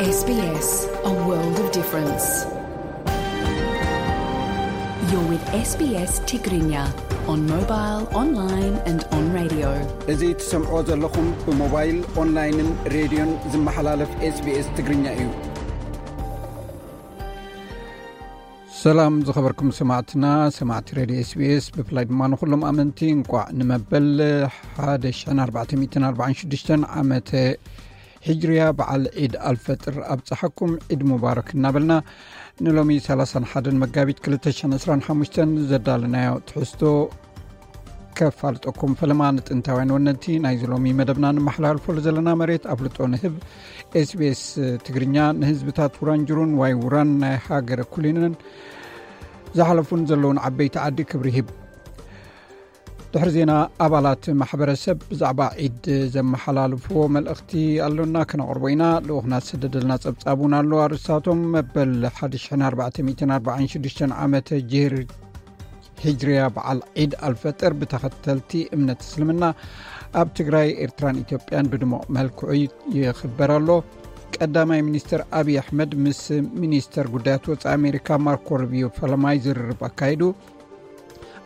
S B S, a world of difference. You're with S B S Tigrinya on mobile, online and on radio. እዚ ትሰምዖ ዘለኹም ብሞባይል፣ ኦንላይንን ሬድዮን ዝመሓላለፍ S B S ትግርኛ እዩ። ሰላም ዝኸበርኩም ሰማዕትና፣ ሰማዕቲ ሬድዮ S B S፣ ብፍላይ ድማ ንኹሎም ኣመንቲ እንቋዕ ንመበል ሓደ ሽሕን ኣርባዕተ ሚእትን ኣርባዓን ሽዱሽተን ዓመተ ሂጅርያ በዓል ዒድ ኣልፈጥር ኣብፀሓኩም። ዒድ ሙባረክ እናበልና ንሎሚ ሰላሳን ሓደን መጋቢት ክልተ ሽሕን ዕስራን ሓሙሽተን ዘዳለናዮ ትሕዝቶ ከፋልጠኩም። ፈለማ ንጥንታውያን ወነንቲ ናይዚ ሎሚ መደብና ንመሓላልፈሉ ዘለና መሬት ኣፍልጦ ንህብ። S B S ትግርኛ ንህዝብታት ውራንጅሩን ዋይ ውራን ናይ ሃገረ ኩሊንን ዝሓለፉን ዘለውን ዓበይቲ ዓዲ ክብሪ ይህብ። ድሕሪ ዜና፣ ኣባላት ማሕበረሰብ ብዛዕባ ዒድ ዘመሓላልፍዎ መልእኽቲ ኣሎና፣ ክነቕርቦ ኢና። ልኡኽና ዝሰደደልና ጸብጻብ እውን ኣሎ። ኣርእስታቶም፣ መበል ሓደ ሽሕን ኣርባዕተ ሚእትን ኣርባዓን ሽዱሽተን ዓመተ ጅህር ሂጅርያ በዓል ዒድ ኣልፈጥር ብተኸተልቲ እምነት እስልምና ኣብ ትግራይ፣ ኤርትራን ኢትዮጵያን ብድሙቕ መልክዑ ይኽበር ኣሎ። ቀዳማይ ሚኒስትር ኣብይ ኣሕመድ ምስ ሚኒስተር ጉዳያት ወጻኢ ኣሜሪካ ማርኮ ሩቢዮ ፈለማይ ዝርርብ ኣካይዱ።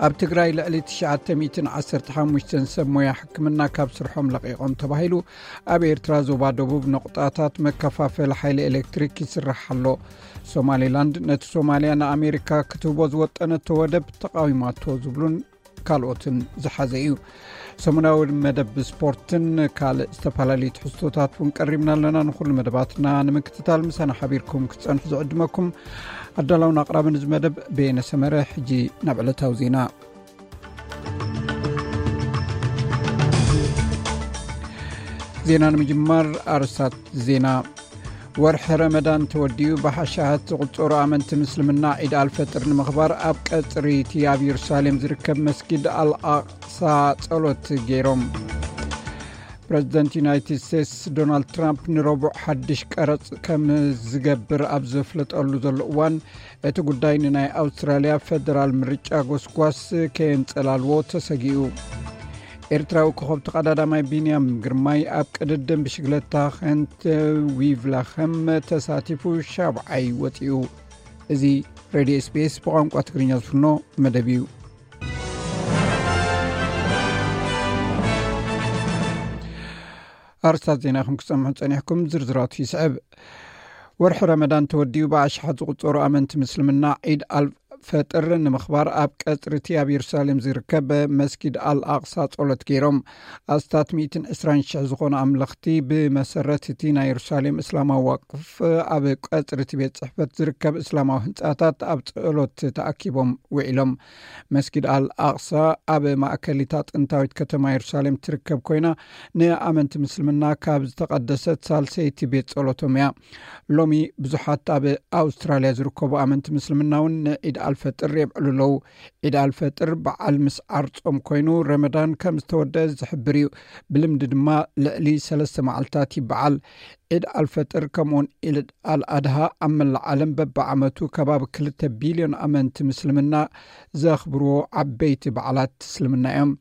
ኣብ ትግራይ ልዕሊ ትሽዓተ ሚእትን ዓሰርተ ሓሙሽተን ሰብ ሞያ ሕክምና ካብ ስርሖም ለቒቖም ተባሂሉ። ኣብ ኤርትራ ዞባ ደቡብ ነቑጣታት መከፋፈሊ ሓይሊ ኤሌክትሪክ ይስራሕ ኣሎ። ሶማሌላንድ ነቲ ሶማልያ ንኣሜሪካ ክትህቦ ዝወጠነቶ ወደብ ተቓዊማቶ ዝብሉን ካልኦትን ዝሓዘ እዩ። ሰሙናዊ መደብ ስፖርትን ካልእ ዝተፈላለዩ ትሕዝቶታት እውን ቀሪብና ኣለና። ንኹሉ መደባትና ንምክትታል ምሳና ሓቢርኩም ክትጸንሑ ዝዕድመኩም ኣዳላውን ኣቕራብን እዚ መደብ በየነ ሰመረ። ሕጂ ናብ ዕለታዊ ዜና። ዜና ንምጅማር ኣርስታት ዜና። ወርሒ ረመዳን ተወዲኡ ብሓሻሃት ዝቑጸሩ ኣመንቲ ምስልምና ዒድ ኣልፈጥር ንምኽባር ኣብ ቀጽሪ እቲ ኣብ የሩሳሌም ዝርከብ መስጊድ ኣልኣቕሳ ጸሎት ገይሮም። ፕረዚደንት ዩናይትድ ስቴትስ ዶናልድ ትራምፕ ንረቡዕ ሓድሽ ቀረጽ ከም ዝገብር ኣብ ዘፍለጠሉ ዘሎ እዋን፣ እቲ ጉዳይ ንናይ ኣውስትራልያ ፈደራል ምርጫ ጎስጓስ ከየንጸላልዎ ተሰጊኡ። ኤርትራዊ ኮኸብ ተቐዳዳማይ ቢንያም ግርማይ ኣብ ቅድድም ብሽግለታ ኸንት ዊቭላኸም ተሳቲፉ ሻብዓይ ወጺኡ። እዚ ሬድዮ S B S ብቋንቋ ትግርኛ ዝፍኖ መደብ እዩ። ኣርስታት ዜና ከም ክሰምዑ ጸኒሕኩም፣ ዝርዝራቱ ይስዕብ። ወርሒ ረመዳን ተወዲኡ ብኣሽሓት ዝቑጸሩ ኣመንቲ ምስልምና ዒድ ኣልፈጥር ንምኽባር ኣብ ቀጽሪ እቲ ኣብ የሩሳሌም ዝርከብ መስጊድ ኣልኣቕሳ ጸሎት ገይሮም። ኣስታት ሚእትን ዕስራን ሽሕ ዝኾኑ ኣምለኽቲ ብመሰረት እቲ ናይ የሩሳሌም እስላማዊ ዋቅፍ ኣብ ቀጽሪ እቲ ቤት ጽሕፈት ዝርከብ እስላማዊ ህንጻታት ኣብ ጸሎት ተኣኪቦም ውዒሎም። መስጊድ ኣል ኣቕሳ ኣብ ማእከል እታ ጥንታዊት ከተማ የሩሳሌም ትርከብ ኮይና፣ ንኣመንቲ ምስልምና ካብ ዝተቐደሰት ሳልሰይቲ ቤት ጸሎቶም እያ። ሎሚ ብዙሓት ኣብ ኣውስትራልያ ዝርከቡ ኣመንቲ ምስልምና እውን ንዒድ ኣልፈጥር የብዕሉ ኣለዉ። ዒድ ኣልፈጥር በዓል ምስዓር ጾም ኮይኑ፣ ረመዳን ከም ዝተወደአ ዝሕብር እዩ። ብልምዲ ድማ ልዕሊ ሰለስተ መዓልታት ይበዓል። ዒድ ኣልፈጥር ከምኡውን ዒድ ኣልኣድሃ ኣብ መላእ ዓለም በብዓመቱ ከባቢ ክልተ ቢልዮን ኣመንቲ ምስልምና ዘኽብርዎ ዓበይቲ በዓላት እስልምና እዮም።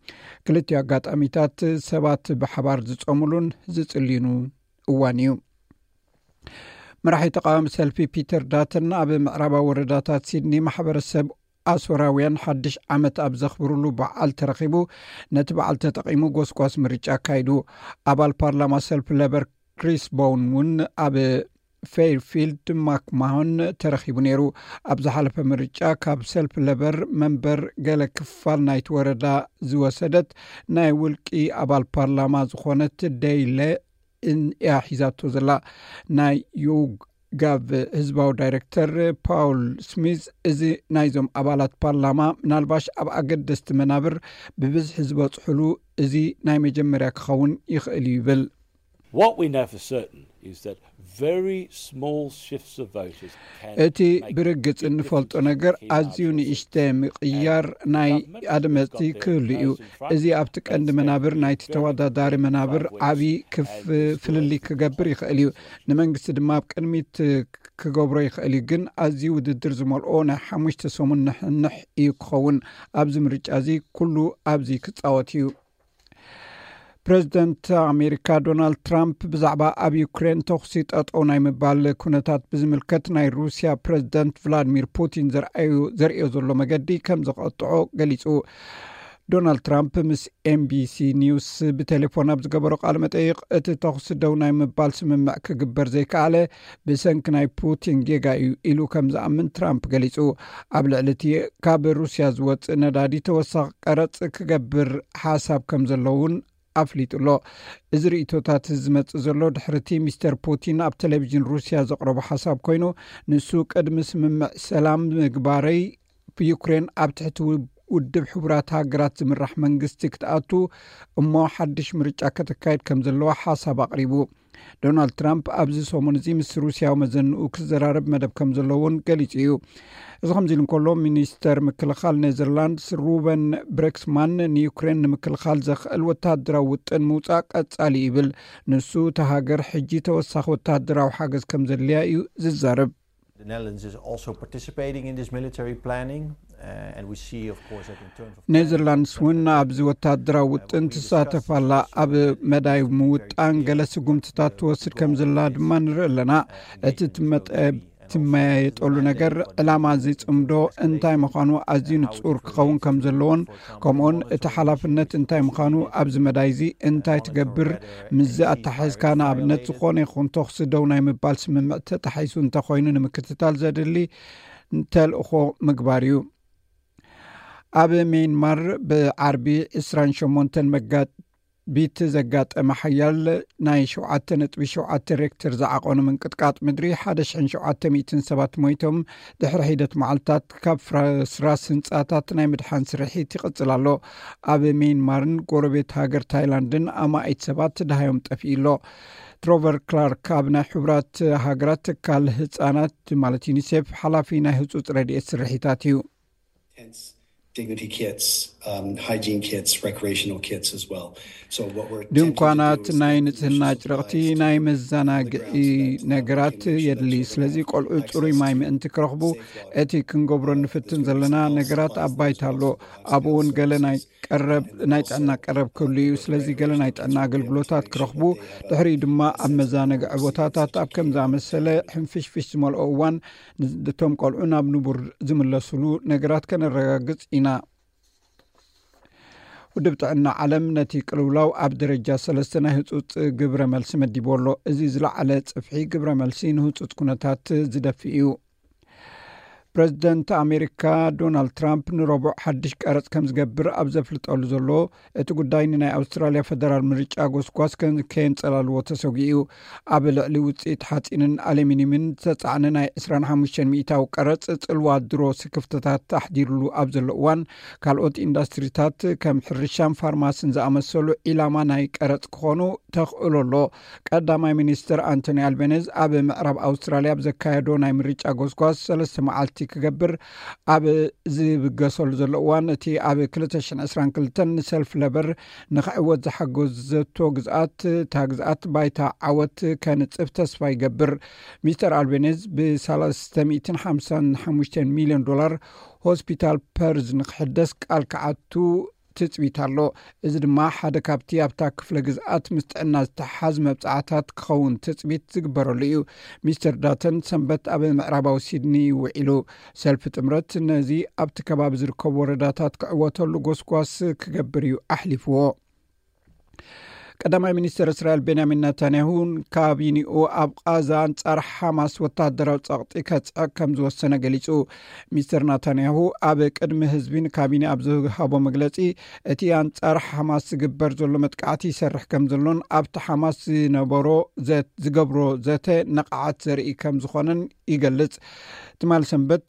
ክልቲኡ ኣጋጣሚታት ሰባት ብሓባር ዝጾምሉን ዝጽልዩኑ እዋን እዩ። መራሒ ተቃዋሚ ሰልፊ ፒተር ዳተን ኣብ ምዕራባዊ ወረዳታት ሲድኒ ማሕበረሰብ ኣሶራውያን ሓድሽ ዓመት ኣብ ዘኽብሩሉ በዓል ተረኺቡ፣ ነቲ በዓል ተጠቒሙ ጎስጓስ ምርጫ ኣካይዱ። ኣባል ፓርላማ ሰልፊ ለበር ክሪስ ቦውን እውን ኣብ ፌርፊልድ ማክማሆን ተረኺቡ ነይሩ። ኣብ ዝሓለፈ ምርጫ ካብ ሰልፊ ለበር መንበር ገለ ክፋል ናይቲ ወረዳ ዝወሰደት ናይ ውልቂ ኣባል ፓርላማ ዝኾነት ደይለ እያ ሒዛቶ ዘላ። ናይ ዩጋቭ ህዝባዊ ዳይሬክተር ፓውል ስሚዝ፣ እዚ ናይዞም ኣባላት ፓርላማ ምናልባሽ ኣብ ኣገደስቲ መናብር ብብዝሒ ዝበጽሕሉ እዚ ናይ መጀመርያ ክኸውን ይኽእል እዩ ይብል። What we know for certain is that very small shifts of voters can እቲ make ብርግጽ big እንፈልጦ differences ነገር in our ኣዝዩ choices. ንእሽተ ምቕያር ናይ ኣድመፅቲ ክህሉ እዩ። እዚ ኣብቲ ቀንዲ መናብር ናይቲ ተወዳዳሪ መናብር ዓብዪ ክፍ ፍልልይ ክገብር ይኽእል እዩ። ንመንግስቲ ድማ ኣብ ቅድሚት ክገብሮ ይኽእል እዩ። ግን ኣዝዩ ውድድር ዝመልኦ ናይ ሓሙሽተ ሰሙን ንሕንሕ እዩ ክኸውን። ኣብዚ ምርጫ እዚ ኩሉ ኣብዚ ክጻወት እዩ። ፕሬዚደንት ኣሜሪካ ዶናልድ ትራምፕ ብዛዕባ ኣብ ዩክሬን ተኹሲ ጠጠው ናይ ምባል ኩነታት ብዝምልከት ናይ ሩስያ ፕሬዚደንት ቭላድሚር ፑቲን ዘርኣዩ ዘርእዮ ዘሎ መገዲ ከም ዘቐጥዖ ገሊጹ። ዶናልድ ትራምፕ ምስ ኤምቢሲ ኒውስ ብቴሌፎን ኣብ ዝገበሮ ቃለ መጠይቕ፣ እቲ ተኹሲ ደው ናይ ምባል ስምምዕ ክግበር ዘይከኣለ ብሰንኪ ናይ ፑቲን ጌጋ እዩ ኢሉ ከም ዝኣምን ትራምፕ ገሊጹ። ኣብ ልዕሊ እቲ ካብ ሩስያ ዝወጽእ ነዳዲ ተወሳኺ ቀረጽ ክገብር ሓሳብ ከም ዘሎ እውን ኣፍሊጡ ኣሎ። እዚ ርእቶታት ዝመጽእ ዘሎ ድሕርቲ ሚስተር ፑቲን ኣብ ቴሌቪዥን ሩስያ ዘቕረቦ ሓሳብ ኮይኑ፣ ንሱ ቅድሚ ስምምዕ ሰላም ምግባረይ ዩክሬን ኣብ ትሕቲ ውድብ ሕቡራት ሃገራት ዝምራሕ መንግስቲ ክትኣቱ እሞ ሓድሽ ምርጫ ከተካይድ ከም ዘለዋ ሓሳብ ኣቕሪቡ። ዶናልድ ትራምፕ ኣብዚ ሰሙን እዚ ምስ ሩስያዊ መዘንኡ ክዘራረብ መደብ ከም ዘለዎን ገሊጹ እዩ። እዚ ከምዚ ኢሉ እንከሎ፣ ሚኒስተር ምክልኻል ኔዘርላንድስ ሩበን ብሬክስማን ንዩክሬን ንምክልኻል ዘኽእል ወታደራዊ ውጥን ምውጻእ ቀጻሊ ይብል። ንሱ፣ እታ ሃገር ሕጂ ተወሳኺ ወታደራዊ ሓገዝ ከም ዘድልያ እዩ ዝዛረብ። The Netherlands is also participating in this military planning, uh, and we see, of course, that in terms of ኔዘርላንድስ እውን ኣብዚ ወታደራዊ ውጥን ትሳተፍ ኣላ። ኣብ መዳይ ምውጣን ገለ ስጉምትታት ትወስድ ከም ዘላ ድማ ንርኢ ኣለና። እቲ ትመጠ ትመያየጠሉ ነገር፣ ዕላማ እዚ ጽምዶ እንታይ ምዃኑ ኣዝዩ ንጹር ክኸውን ከም ዘለዎን፣ ከምኡውን እቲ ሓላፍነት እንታይ ምዃኑ ኣብዚ መዳይ እዚ እንታይ ትገብር ምስዚ ኣተሓሒዝካ፣ ንኣብነት፣ ዝኾነ ይኹን ተኹሲ ደው ናይ ምባል ስምምዕ ተጣሒሱ እንተኾይኑ ንምክትታል ዘድሊ ተልእኾ ምግባር እዩ። ኣብ ሜንማር ብዓርቢ ዕስራን ሸሞንተን መጋቢት ዘጋጠመ ሓያል ናይ ሸውዓተ ነጥቢ ሸውዓተ ሬክተር ዝዓቐኑ ምንቅጥቃጥ ምድሪ ሓደ ሽሕን ሸውዓተ ሚእትን ሰባት ሞይቶም። ድሕሪ ሒደት መዓልታት ካብ ፍርስራስ ህንጻታት ናይ ምድሓን ስርሒት ይቕጽል ኣሎ። ኣብ ሜንማርን ጎረቤት ሃገር ታይላንድን ኣማኢት ሰባት ደሃዮም ጠፊኡ ኣሎ። ትሮቨር ክላርክ ኣብ ናይ ሕቡራት ሃገራት ትካል ህጻናት ማለት ዩኒሴፍ ሓላፊ ናይ ህጹጽ ረድኤት ስርሒታት እዩ። Tents, dignity kits, um, hygiene kits, recreational kits as well. So what we're ድንኳናት፣ ናይ ንጽህና ጭርቕቲ፣ ናይ መዘናግዒ ነገራት የድሊ። ስለዚ ቆልዑ ጽሩይ ማይ ምእንቲ ክረኽቡ እቲ ክንገብሮ ንፍትን ዘለና ነገራት ኣብ ባይታ ኣሎ። ኣብኡ እውን ገለ ናይ ቀረብ ናይ ጥዕና ቀረብ ክህሉ እዩ። ስለዚ ገለ ናይ ጥዕና ኣገልግሎታት ክረኽቡ፣ ድሕሪኡ ድማ ኣብ መዘናግዒ ቦታታት ኣብ ከም ዝኣመሰለ ሕንፍሽፍሽ ዝመልኦ እዋን እቶም ቆልዑ ናብ ንቡር ዝምለስሉ ነገራት ከነረጋግጽ ኢና። ውድብ ጥዕና ዓለም ነቲ ቅልውላው ኣብ ደረጃ ሰለስተ ናይ ህጹጽ ግብረ መልሲ መዲቡ ኣሎ። እዚ ዝለዓለ ጽፍሒ ግብረ መልሲ ንህጹጽ ኩነታት ዝደፍእ እዩ። ፕረዚደንት ኣሜሪካ ዶናልድ ትራምፕ ንረቡዕ ሓድሽ ቀረጽ ከም ዝገብር ኣብ ዘፍልጠሉ ዘሎ፣ እቲ ጉዳይ ንናይ ኣውስትራልያ ፈደራል ምርጫ ጎስጓስ ከን- ከየንጸላልዎ ተሰጊኡ እዩ። ኣብ ልዕሊ ውጽኢት ሓጺንን ኣሉሚኒየምን ዝተጻዕነ ናይ ዕስራን ሓሙሽተን ሚእታዊ ቀረጽ ጽልዋ ድሮ ስክፍተታት ኣሕዲሩሉ ኣብ ዘሎ እዋን፣ ካልኦት ኢንዱስትሪታት ከም ሕርሻን ፋርማስን ዝኣመሰሉ ዒላማ ናይ ቀረጽ ክኾኑ ተኽእሎ ኣሎ። ቀዳማይ ሚኒስትር ኣንቶኒ ኣልቤኒዝ ኣብ ምዕራብ ኣውስትራልያ ኣብ ዘካየዶ ናይ ምርጫ ጎስጓስ ሰለስተ መዓልቲ ክገብር ኣብ ዝብገሰሉ ዘሎ እዋን፣ እቲ ኣብ ክልተ ሽሕን ዕስራን ክልተን ንሰልፍ ለበር ንክዕወት ዝሓገዘቶ ግዝኣት፣ እታ ግዝኣት ባይታ ዓወት ከንጽፍ ተስፋ ይገብር። ሚስተር ኣልቤኒዝ ብ ሰለስተ ሚእትን ሓምሳን ሓሙሽተን ሚልዮን ዶላር ሆስፒታል ፐርዝ ንክሕደስ ቃል ክኣቱ ትጽቢት ኣሎ። እዚ ድማ ሓደ ካብቲ ኣብታ ክፍለ ግዝኣት ምስ ጥዕና ዝተሓዝ መብጻዕታት ክኸውን ትጽቢት ዝግበረሉ እዩ። ሚስተር ዳተን ሰንበት ኣብ ምዕራባዊ ሲድኒ ውዒሉ። ሰልፊ ጥምረት ነዚ ኣብቲ ከባቢ ዝርከቡ ወረዳታት ክዕወተሉ ጎስጓስ ክገብር እዩ ኣሕሊፍዎ። ቀዳማይ ሚኒስትር እስራኤል ቤንያሚን ናታንያሁን ካቢኒኡ ኣብ ቃዛ ኣንጻር ሓማስ ወታደራዊ ጸቕጢ ከጽዕቕ ከም ዝወሰነ ገሊጹ። ሚስተር ናታንያሁ ኣብ ቅድሚ ህዝቢ ንካቢነ ኣብ ዝሃቦ መግለጺ፣ እቲ ኣንጻር ሓማስ ዝግበር ዘሎ መጥቃዕቲ ይሰርሕ ከም ዘሎን ኣብቲ ሓማስ ዝነበሮ ዘ- ዝገብሮ ዘተ ነቓዓት ዘርኢ ከም ዝኾነን ይገልጽ። ትማል ሰንበት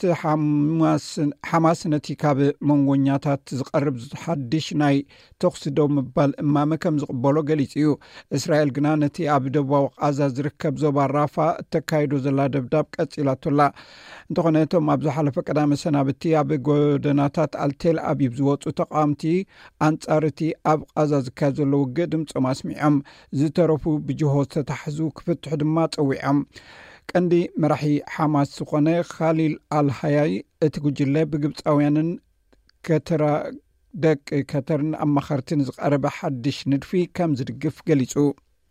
ሓማስ ነቲ ካብ መንጎኛታት ዝቐርብ ሓድሽ ናይ ተኹሲ ደው ምባል እማመ ከም ዝቕበሎ ገሊጹ እዩ። እስራኤል ግና ነቲ ኣብ ደቡባዊ ቃዛ ዝርከብ ዞባ ራፋ እተካይዶ ዘላ ደብዳብ ቀጺላቶላ። እንተኾነ እቶም ኣብ ዝሓለፈ ቀዳመ ሰናብቲ ኣብ ጎደናታት ኣልቴል ኣቢብ ዝወጹ ተቃወምቲ ኣንጻር እቲ ኣብ ቃዛ ዝካየድ ዘሎ ውግእ ድምጾም ኣስሚዖም። ዝተረፉ ብጅሆ ዝተታሕዙ ክፍትሑ ድማ ጸዊዖም። ቀንዲ መራሒ ሓማስ ዝኾነ ካሊል ኣልሃያይ እቲ ጉጅለ ብግብጻውያንን ከተራ ደቂ ከተርን ኣማኸርትን ዝቐረበ ሓድሽ ንድፊ ከም ዝድግፍ ገሊጹ።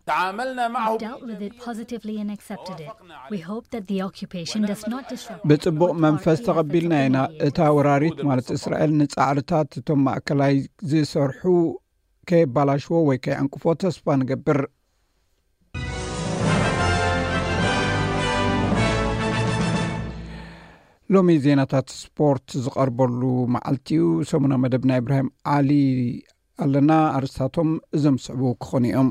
تعاملنا معه We've dealt with it positively and accepted it. We hope that the occupation does not disrupt ብጽቡቕ መንፈስ ተቐቢልና ኢና። እታ ወራሪት ማለት እስራኤል ንጻዕርታት እቶም ማእከላይ ዝሰርሑ ከየባላሽዎ ወይ ከየዕንቅፎ ተስፋ ንገብር። ሎሚ ዜናታት ስፖርት ዝቐርበሉ መዓልቲ እዩ። ሰሙና መደብና ኢብራሂም ዓሊ ኣለና። ኣርስታቶም እዞም ዝስዕቡ ክኾኑ እዮም።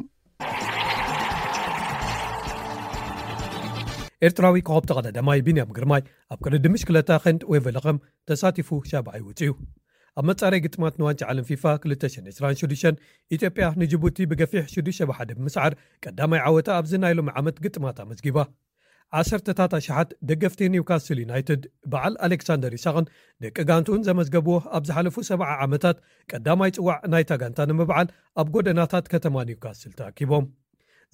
ኤርትራዊ ኮኸብ ተቐዳዳማይ ቢንያም ግርማይ ኣብ ቅድድም ብሽክለታ ኸንድ ዌቨለኸም ተሳቲፉ ሻብዓይ ወጺኡ። ኣብ መጻረይ ግጥማት ንዋንጫ ዓለም ፊፋ ክልተ ሽሕን ዕስራን ሽዱሽተን ኢትዮጵያ ንጅቡቲ ብገፊሕ ሽዱሽተ ብሓደ ብምስዓር ቀዳማይ ዓወታ ኣብዚ ናይ ሎሚ ዓመት ግጥማት ኣመዝጊባ። ዓሰርተታት ኣሽሓት ደገፍቲ ኒውካስል ዩናይትድ በዓል ኣሌክሳንደር ኢሳቕን ደቂ ጋንትኡን ዘመዝገብዎ ኣብ ዝሓለፉ ሰብዓ ዓመታት ቀዳማይ ጽዋዕ ናይታ ጋንታ ንምብዓል ኣብ ጎደናታት ከተማ ኒውካስል ተኣኪቦም።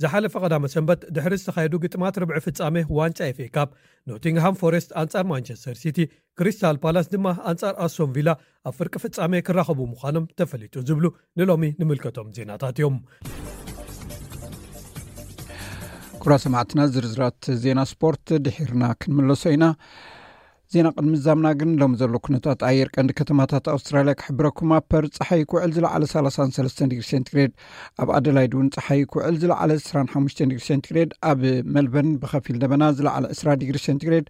ዝሓለፈ ቀዳመ ሰንበት ድሕሪ ዝተኻየዱ ግጥማት ርብዒ ፍጻሜ ዋንጫ ኤፍኤ ካፕ ኖቲንግሃም ፎረስት ኣንጻር ማንቸስተር ሲቲ፣ ክሪስታል ፓላስ ድማ ኣንጻር ኣስቶን ቪላ ኣብ ፍርቂ ፍጻሜ ክራኸቡ ምዃኖም ተፈሊጡ ዝብሉ ንሎሚ ንምልከቶም ዜናታት እዮም። ኩራ ሰማዕትና ዝርዝራት ዜና ስፖርት ድሒርና ክንምለሶ ኢና። ዜና ቅድሚ ዛምና ግን ሎም ዘሎ ኩነታት ኣየር ቀንዲ ከተማታት ኣውስትራልያ ክሕብረኩም። ኣብ ፐርዝ ጸሓይ ክውዕል ዝለዓለ ሰላሳን ሰለስተን ዲግሪ ሴንቲግሬድ፣ ኣብ ኣደላይድ እውን ጸሓይ ክውዕል ዝለዓለ ዕስራን ሓሙሽተን ዲግሪ ሴንቲግሬድ፣ ኣብ መልበርን ብኸፊል ደበና ዝለዓለ ዕስራ ዲግሪ ሴንቲግሬድ፣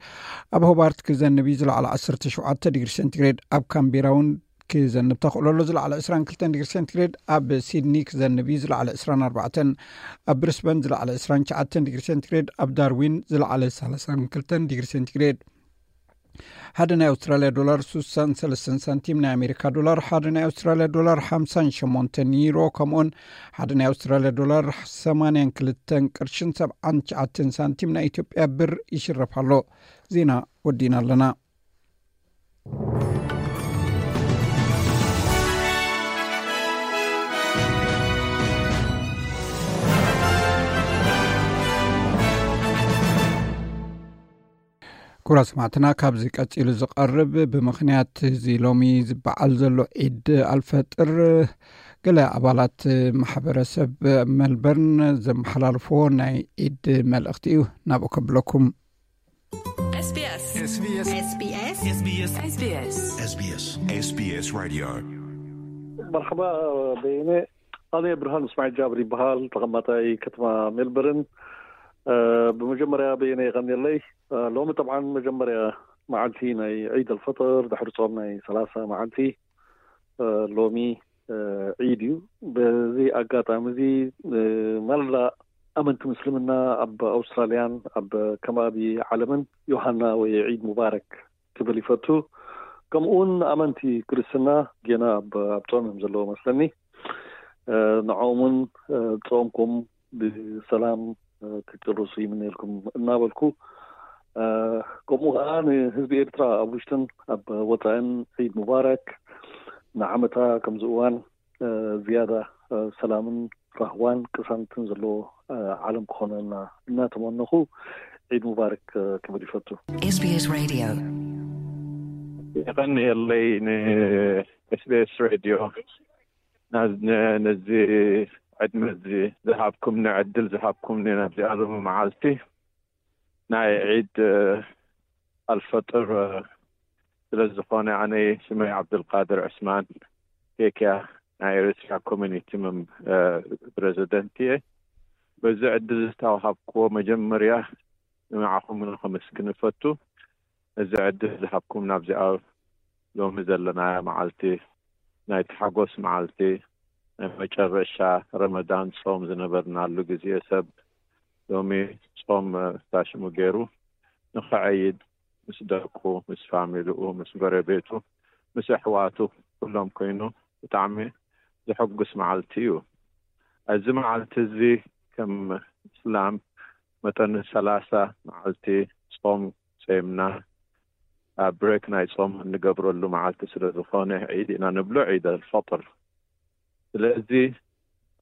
ኣብ ሆባርት ክዘንብ እዩ ዝለዓለ ዓሰርተ ሸውዓተ ዲግሪ ሴንቲግሬድ፣ ኣብ ካምቤራ እውን ክዘንብ ተኽእሎ ኣሎ ዝለዓለ ዕስራን ክልተን ዲግሪ ሴንቲግሬድ፣ ኣብ ሲድኒ ክዘንብ እዩ ዝለዓለ ዕስራን ኣርባዕተን፣ ኣብ ብሪስበን ዝለዓለ ዕስራን ትሽዓተን ዲግሪ ሴንቲግሬድ፣ ኣብ ዳርዊን ዝለዓለ ሰላሳን ክልተን ዲግሪ ሴንቲግሬድ። ሓደ ናይ ኣውስትራልያ ዶላር ሱሳን ሰለስተን ሳንቲም፣ ናይ ኣሜሪካ ዶላር ሓደ ናይ ኣውስትራልያ ዶላር ሓምሳን ሸሞንተን ዩሮ፣ ከምኡውን ሓደ ናይ ኣውስትራልያ ዶላር ሰማንያን ክልተን ቅርሽን ሰብዓን ትሽዓተን ሳንቲም ናይ ኢትዮጵያ ብር ይሽረፍ ኣሎ። ዜና ወዲና ኣለና። ኩራ ሰማዕትና፣ ካብዚ ቀጺሉ ዝቐርብ ብምኽንያት እዚ ሎሚ ዝበዓል ዘሎ ዒድ ኣልፈጥር፣ ገለ ኣባላት ማሕበረሰብ መልበርን ዘመሓላልፍዎ ናይ ዒድ መልእኽቲ እዩ፣ ናብኡ ከብለኩም። SBS SBS SBS SBS SBS SBS Radio. መርሓባ በየነ። ኣነ ብርሃን እስማዒል ጃብር ይበሃል፣ ተቐማጣይ ከተማ ሜልበርን። ብመጀመርያ በየነ የቐንየለይ። ሎሚ ጠብዓን መጀመርያ መዓልቲ ናይ ዒድ ኣልፈጥር ድሕሪ ጾም ናይ ሰላሳ መዓልቲ ሎሚ ዒድ እዩ። በዚ ኣጋጣሚ እዚ መላ ኣመንቲ ምስልምና ኣብ ኣውስትራልያን ኣብ ከባቢ ዓለምን ዮሃና ወይ ዒድ ሙባረክ ክብል ይፈቱ። ከምኡ እውን ኣመንቲ ክርስትና ጌና ኣብ ኣብ ጾም እዮም ዘለዉ መስለኒ። ንዕኦም እውን ጾምኩም ብሰላም ክትጭርሱ ይምነየልኩም እናበልኩ፣ ከምኡ ከዓ ንህዝቢ ኤርትራ ኣብ ውሽጥን ኣብ ወፃእን ዒድ ሙባረክ፣ ንዓመታ ከምዚ እዋን ዝያዳ ሰላምን ራህዋን ቅሳነትን ዘለዎ ዓለም ክኾነልና እናተመነኹ ዒድ ሙባረክ ክብል ይፈቱ። SBS Radio. የቐንየለይ ን SBS Radio ነዚ ዕድመ እዚ ዝሃብኩምኒ፣ ዕድል ዝሃብኩምኒ፣ ናብዚኣ ሎሚ መዓልቲ ናይ ዒድ ኣልፈጥር ስለ ዝኾነ፣ ኣነ ሽመይ ዓብዱልቃድር ዕስማን ኬክያ ናይ ኤሪትሪያ ኮሚኒቲ ፕረዚደንት እየ። በዚ ዕድል ዝተዋሃብክዎ መጀመርያ ንዓኹም ከመስግን እፈቱ። እዚ ዕድል ዝሃብኩም ናብዚኣ ሎሚ ዘለናያ መዓልቲ ናይ ተሓጎስ መዓልቲ ናይ መጨረሻ ረመዳን ጾም ዝነበርናሉ ግዜ ሰብ ሎሚ ጾም ታሽሙ ገይሩ ንኽዐይድ ምስ ደቁ ምስ ፋሚልኡ ምስ ጎረቤቱ ምስ ኣሕዋቱ ኩሎም ኮይኑ ብጣዕሚ ዘሐጉስ መዓልቲ እዩ። እዚ መዓልቲ እዚ ከም እስላም መጠን ሰላሳ መዓልቲ ጾም ጾምና ኣብ ብሬክ ናይ ጾም እንገብረሉ መዓልቲ ስለ ዝኾነ ዒድ ኢና ንብሎ፣ ዒድ ኣልፈጥር። ስለዚ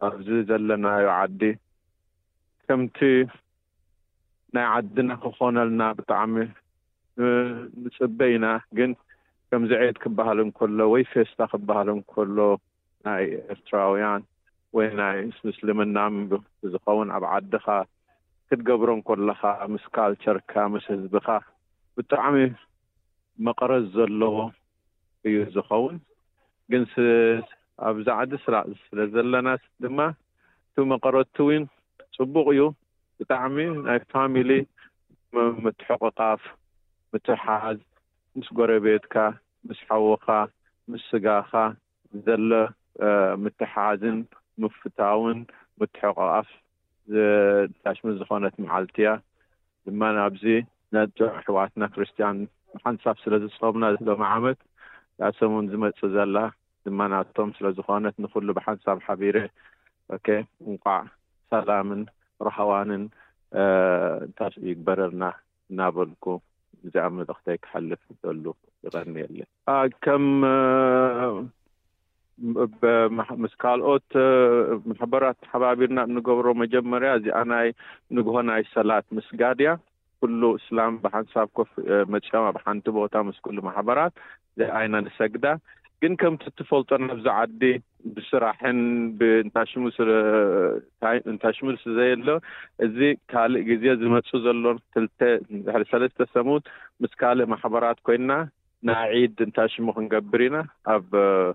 ኣብዚ ዘለናዮ ዓዲ ከምቲ ናይ ዓድና ክኾነልና ብጣዕሚ ንጽበ ኢና። ግን ከምዚ ዒድ ክበሃል እንከሎ ወይ ፌስታ ክበሃል እንከሎ ናይ ኤርትራውያን ወይ ናይ ምስልምና ዝኸውን ኣብ ዓድኻ ክትገብሮ እንከለኻ ምስ ካልቸርካ ምስ ህዝብኻ ብጣዕሚ መቐረት ዘለዎ እዩ ዝኸውን። ግን ኣብዚ ዓዲ ስለ ዘለና ድማ እቲ መቐረቱ እውን ፅቡቕ እዩ። ብጣዕሚ ናይ ፋሚሊ ምትሕቕቓፍ፣ ምትሓዝ ምስ ጎረቤትካ፣ ምስ ሓውኻ፣ ምስ ስጋኻ ዘሎ ምትሓዝን ምፍታውን ምትሕቕቓፍ ታሽሙ ዝኾነት መዓልቲ እያ። ድማ ኣብዚ ነጆ ኣሕዋትና ክርስትያን ብሓንሳብ ስለ ዝጾምና ሎም ዓመት እዛ ሰሙን ዝመጽእ ዘላ ድማ ናቶም ስለ ዝኾነት ንኹሉ ብሓንሳብ ሓቢረ ኦኬ እንቋዕ ሰላምን ረሃዋንን እንታይ ይግበረልና እናበልኩ እዚኣ መልእኽተይ ክሓልፍ ይደሉ። ይቐንየለይ። ከም ምስ ካልኦት ማሕበራት ተሓባቢርና እንገብሮ መጀመርያ እዚኣ ናይ ንግሆ ናይ ሰላት ምስጋድ እያ። ኩሉ እስላም ብሓንሳብ ኮፍ መፂኦም ኣብ ሓንቲ ቦታ ምስ ኩሉ ማሕበራት እዚኣ ኢና ንሰግዳ። ግን ከምቲ ትፈልጦ ናብዚ ዓዲ ብስራሕን ብእንታሽሙ እንታሽሙ ዘየሎ እዚ ካልእ ግዜ ዝመፁ ዘሎ ክልተ ድሕሪ ሰለስተ ሰሙን ምስ ካልእ ማሕበራት ኮይና ናይ ዒድ እንታይ ሽሙ ክንገብር ኢና ኣብ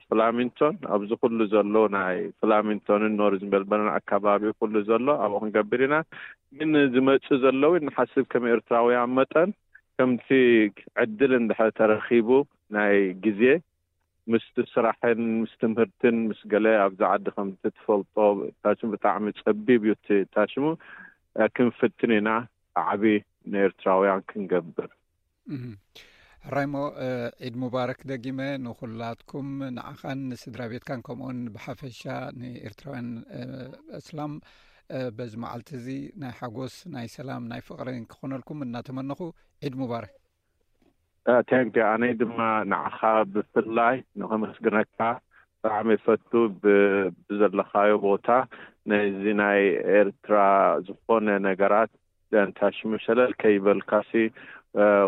ፍላሚንቶን ኣብዚ ኩሉ ዘሎ ናይ ፍላሚንቶንን ኖርዝ ሜልበርን ኣካባቢ ኩሉ ዘሎ ኣብኡ ክንገብር ኢና። ግን ዝመፁ ዘለዉ ንሓስብ ከም ኤርትራውያን መጠን ከምቲ ዕድል እንድሕር ተረኺቡ ናይ ግዜ ምስ ስራሕን ምስ ትምህርትን ምስ ገለ ኣብዚ ዓዲ ከምቲ ትፈልጦ ታሽሙ ብጣዕሚ ፀቢብ እዩ እቲ ታሽሙ ክንፍትን ኢና ዓቢ ንኤርትራውያን ክንገብር። ሕራይሞ ዒድ ሙባረክ ደጊመ ንኹላትኩም ንዓኻን ንስድራ ቤትካን ከምኡውን ብሓፈሻ ንኤርትራውያን እስላም በዚ መዓልቲ እዚ ናይ ሓጎስ ናይ ሰላም ናይ ፍቕርን ክኾነልኩም እናተመነኹ ዒድ ሙባረክ። ቴንክ ኣነይ ድማ ንዓኻ ብፍላይ ንኸመስግነካ ብጣዕሚ ይፈቱ ብዘለኻዮ ቦታ ነዚ ናይ ኤርትራ ዝኾነ ነገራት ደንታሽሙ ሸለል ከይበልካሲ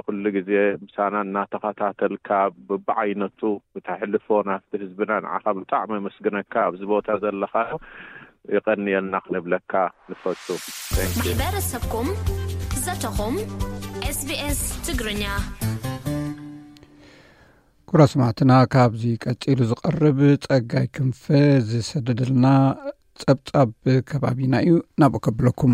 ኩሉ ግዜ ምሳና እናተኸታተልካ ብብዓይነቱ ብተሕልፎ ናብቲ ህዝብና ንዓኻ ብጣዕሚ መስግነካ ኣብዚ ቦታ ዘለኻዮ ይቐንየልና ክንብለካ ንፈቱ። ማሕበረሰብኩም ዘተኹም ኤስቢኤስ ትግርኛ። ኩራ ስማዕትና ካብዚ ቀጺሉ ዝቐርብ ጸጋይ ክንፈ ዝሰደደልና ጸብጻብ ከባቢና እዩ ናብኡ ከብለኩም።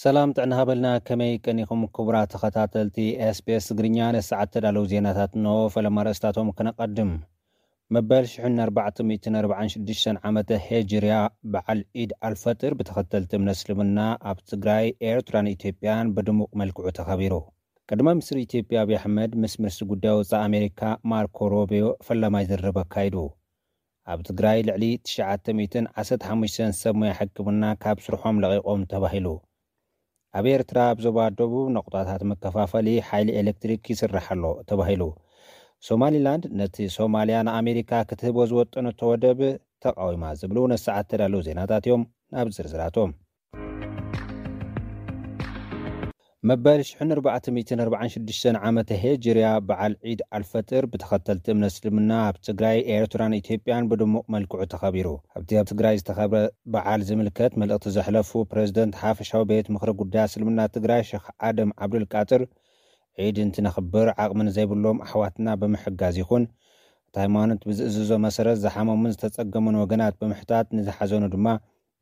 ሰላም ጥዕና ሃበልና። ከመይ ቀኒኹም ክቡራት ተኸታተልቲ ኤስቢኤስ ትግርኛ? ነሰዓት ተዳለዉ ዜናታት እንሆ። ፈለማ ርእስታቶም ክነቐድም። መበል ሽሕን ኣርባዕተ ሚእትን ኣርባዓን ሽዱሽተን ዓመተ ሄጅርያ በዓል ዒድ ኣልፈጥር ብተኸተልቲ እምነት እስልምና ኣብ ትግራይ፣ ኤርትራን ኢትዮጵያን ብድሙቕ መልክዑ ተኸቢሩ። ቀዳማይ ሚኒስትር ኢትዮጵያ ኣብይ ኣሕመድ ምስ ሚኒስትር ጉዳይ ወፃኢ ኣሜሪካ ማርኮ ሮቢዮ ፈላማይ ዝርርብ ኣካይዱ። ኣብ ትግራይ ልዕሊ ትሽዓተ ሚእትን ዓሰርተ ሓሙሽተን ሰብ ሞያ ሕክምና ካብ ስርሖም ለቒቖም ተባሂሉ። ኣብ ኤርትራ ኣብ ዞባ ደቡብ ነቑጣታት መከፋፈሊ ሓይሊ ኤሌክትሪክ ይስራሕ ኣሎ ተባሂሉ። ሶማሊላንድ ነቲ ሶማልያ ንኣሜሪካ ክትህቦ ዝወጠነቶ ወደብ ተቓዊማ ዝብሉ ነሰዓት ተዳለዉ ዜናታት እዮም። ናብ ዝርዝራቶም። መበል ሽሕን ኣርባዕተ ሚእትን ኣርባዓን ሽዱሽተን ዓመተ ሄጅርያ በዓል ዒድ ኣልፈጥር ብተኸተልቲ እምነት እስልምና ኣብ ትግራይ፣ ኤርትራን ኢትዮጵያን ብድሙቕ መልክዑ ተኸቢሩ። ኣብቲ ኣብ ትግራይ ዝተኸብረ በዓል ዝምልከት መልእኽቲ ዘሕለፉ ፕሬዝደንት ሓፈሻዊ ቤት ምኽሪ ጉዳይ እስልምና ትግራይ ሸኽ ኣደም ዓብዱልቃጥር፣ ዒድ እንትነኽብር ዓቕሚ ንዘይብሎም ኣሕዋትና ብምሕጋዝ ይኹን እቲ ሃይማኖት ብዝእዝዞ መሰረት ዝሓመሙን ዝተጸገሙን ወገናት ብምሕታት ንዝሓዘኑ ድማ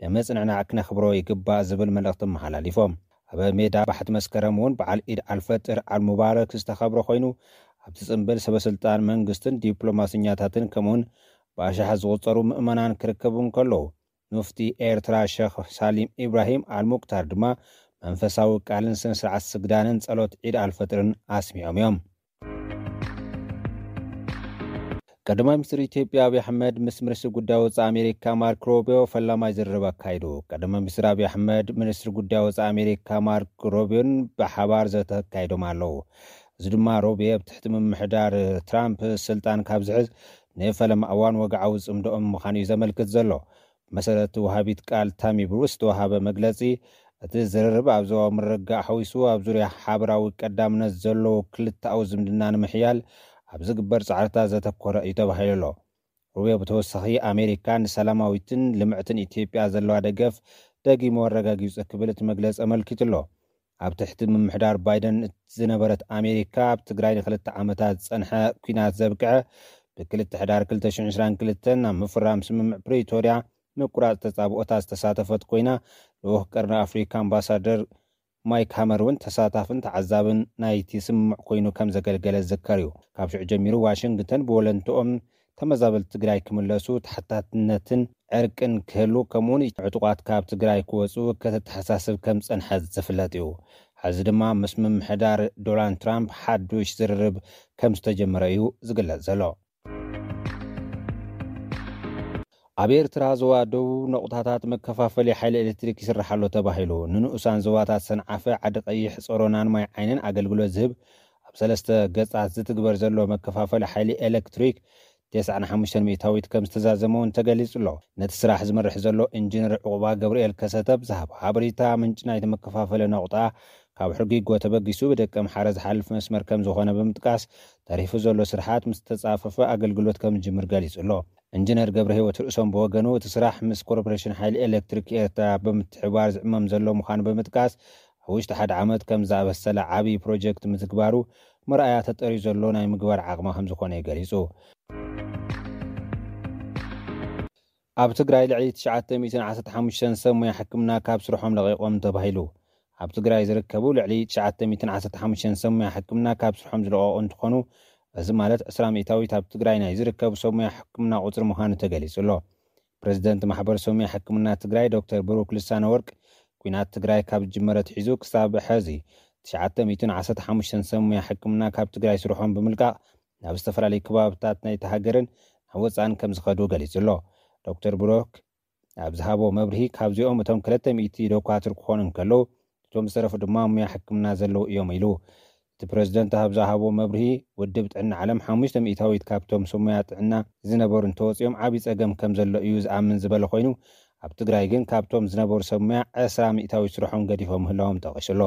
ብምጽንዕናዕ ክነኽብሮ ይግባእ ዝብል መልእኽቲ ኣመሓላሊፎም። ኣብ ሜዳ ባሕቲ መስከረም እውን በዓል ኢድ ኣልፈጥር ኣልሙባረክ ዝተኸብረ ኮይኑ ኣብቲ ጽምብል ሰበስልጣን መንግስትን ዲፕሎማስኛታትን ከምኡውን ብኣሽሓት ዝቑጸሩ ምእመናን ክርከቡ እንከለዉ ሙፍቲ ኤርትራ ሸኽ ሳሊም ኢብራሂም ኣልሙክታር ድማ መንፈሳዊ ቃልን ስነ ስርዓት ስግዳንን ጸሎት ዒድ ኣልፈጥርን ኣስሚዖም እዮም። ቀዳማይ ሚኒስትር ኢትዮጵያ ኣብይ ኣሕመድ ምስ ሚኒስትር ጉዳይ ወፃኢ ኣሜሪካ ማርክ ሮቢዮ ፈላማይ ዝርርብ ኣካይዱ። ቀዳማይ ሚኒስትር ኣብይ ኣሕመድ ሚኒስትር ጉዳይ ወፃኢ ኣሜሪካ ማርክ ሮቢዮን ብሓባር ዘተ ኣካይዶም ኣለዉ። እዚ ድማ ሮቢዮ ኣብ ትሕቲ ምምሕዳር ትራምፕ ስልጣን ካብ ዝሕዝ ንፈለማ እዋን ወግዓዊ ፅምዶኦም ምዃኑ እዩ ዘመልክት ዘሎ። ብመሰረት ወሃቢት ቃል ታሚ ብሩስ ዝተወሃበ መግለፂ እቲ ዝርርብ ኣብ ዞባዊ ምርግጋእ ሓዊሱ ኣብ ዙርያ ሓበራዊ ቀዳምነት ዘለዎ ክልተኣዊ ዝምድና ንምሕያል ኣብ ዝግበር ጻዕርታት ዘተኮረ እዩ ተባሂሉ ኣሎ። ሩቢዮ ብተወሳኺ ኣሜሪካ ንሰላማዊትን ልምዕትን ኢትዮጵያ ዘለዋ ደገፍ ደጊሙ ኣረጋጊጹ ክብል እቲ መግለጺ ኣመልኪቱ ኣሎ። ኣብ ትሕቲ ምምሕዳር ባይደን ዝነበረት ኣሜሪካ ኣብ ትግራይ ንክልተ ዓመታት ዝጸንሐ ኲናት ዘብቅዐ ብክልተ ሕዳር ክልተ ሽሕን ዕስራን ክልተን ኣብ ምፍራም ስምምዕ ፕሪቶርያ ምቁራጽ ተጻብኦታት ዝተሳተፈት ኮይና፣ ልኡኽ ቀርኒ ኣፍሪካ ኣምባሳደር ማይክ ሃመር እውን ተሳታፍን ተዓዛብን ናይቲ ስምምዕ ኮይኑ ከም ዘገልገለ ዝዝከር እዩ። ካብ ሽዑ ጀሚሩ ዋሽንግተን ብወለንትኦም ተመዛበልቲ ትግራይ ክምለሱ ተሓታትነትን ዕርቅን ክህሉ፣ ከምኡውን ዕጡቓት ካብ ትግራይ ክወፁ ከተተሓሳስብ ከም ዝፀንሐት ዝፍለጥ እዩ። ሕዚ ድማ ምስ ምምሕዳር ዶናልድ ትራምፕ ሓዱሽ ዝርርብ ከም ዝተጀመረ እዩ ዝግለጽ ዘሎ። ኣብ ኤርትራ ዞባ ደቡብ ነቑጣታት መከፋፈሊ ሓይሊ ኤሌክትሪክ ይስራሕ ኣሎ ተባሂሉ። ንንኡሳን ዞባታት ሰንዓፈ፣ ዓዲ ቀይሕ፣ ጸሮናን ማይ ዓይንን ኣገልግሎት ዝህብ ኣብ ሰለስተ ገጻት ዝትግበር ዘሎ መከፋፈሊ ሓይሊ ኤሌክትሪክ ተስዓን ሓሙሽተን ሚእታዊት ከም ዝተዛዘመ እውን ተገሊጹ ኣሎ። ነቲ ስራሕ ዝመርሕ ዘሎ ኢንጂነር ዕቑባ ገብርኤል ከሰተ ብዝሃቦ ሓበሬታ፣ ምንጪ ናይቲ መከፋፈሊ ነቑጣ ካብ ሕርጊጎ ተበጊሱ ብደቀ ምሓረ ዝሓልፍ መስመር ከም ዝኾነ ብምጥቃስ፣ ተሪፉ ዘሎ ስርሓት ምስ ተጻፈፈ ኣገልግሎት ከም ዝጅምር ገሊጹ ኣሎ። ኢንጂነር ገብረ ህይወት ርእሶም ብወገኑ፣ እቲ ስራሕ ምስ ኮርፖሬሽን ሓይሊ ኤሌክትሪክ ኤርትራ ብምትሕብባር ዝዕመም ዘሎ ምዃኑ ብምጥቃስ፣ ኣብ ውሽጢ ሓደ ዓመት ከም ዝኣበሰለ ዓብዪ ፕሮጀክት ምትግባሩ መርኣያ ተጠርዩ ዘሎ ናይ ምግባር ዓቕሚ ከም ዝኾነ እዩ ገሊጹ። ኣብ ትግራይ ልዕሊ ትሽዓተ ሚእትን ዓሰርተ ሓሙሽተን ሰብ ሞያ ሕክምና ካብ ስርሖም ለቒቖም ተባሂሉ። ኣብ ትግራይ ዝርከቡ ልዕሊ ትሽዓተ ሚእትን ዓሰርተ ሓሙሽተን ሰብ ሞያ ሕክምና ካብ ስርሖም ዝለቐቑ እንትኾኑ፣ እዚ ማለት ዕስራ ሚእታዊት ኣብ ትግራይ ናይ ዝርከቡ ሰብ ሞያ ሕክምና ቁፅሪ ምዃኑ ተገሊጹ ኣሎ። ፕሬዚደንት ማሕበር ሰብ ሞያ ሕክምና ትግራይ ዶክተር ብሩክ ልሳነ ወርቅ፣ ኲናት ትግራይ ካብ ዝጅመረ ኣትሒዙ ክሳብ ሕዚ ትሽዓተ ሚእትን ዓሰርተ ሓሙሽተን ሰብ ሞያ ሕክምና ካብ ትግራይ ስርሖም ብምልቃቕ ናብ ዝተፈላለዩ ከባብታት ናይቲ ሃገርን ናብ ወፃእን ከም ዝኸዱ ገሊጹ ኣሎ። ዶክተር ብሩክ ኣብ ዝሃቦ መብርሂ፣ ካብዚኦም እቶም ክልተ ሚእቲ ዶኳትር ክኾኑ እንከለዉ፣ እቶም ዝተረፉ ድማ ሙያ ሕክምና ዘለዉ እዮም ኢሉ። እቲ ፕሬዚደንት ኣብ ዝሃቦ መብርሂ፣ ውድብ ጥዕና ዓለም ሓሙሽተ ሚእታዊት ካብቶም ሰብ ሙያ ጥዕና ዝነበሩ እንተወፂኦም ዓብዪ ፀገም ከም ዘሎ እዩ ዝኣምን ዝበለ ኮይኑ፣ ኣብ ትግራይ ግን ካብቶም ዝነበሩ ሰብ ሙያ ዕስራ ሚእታዊት ስርሖም ገዲፎም ምህላዎም ጠቒሱ ኣሎ።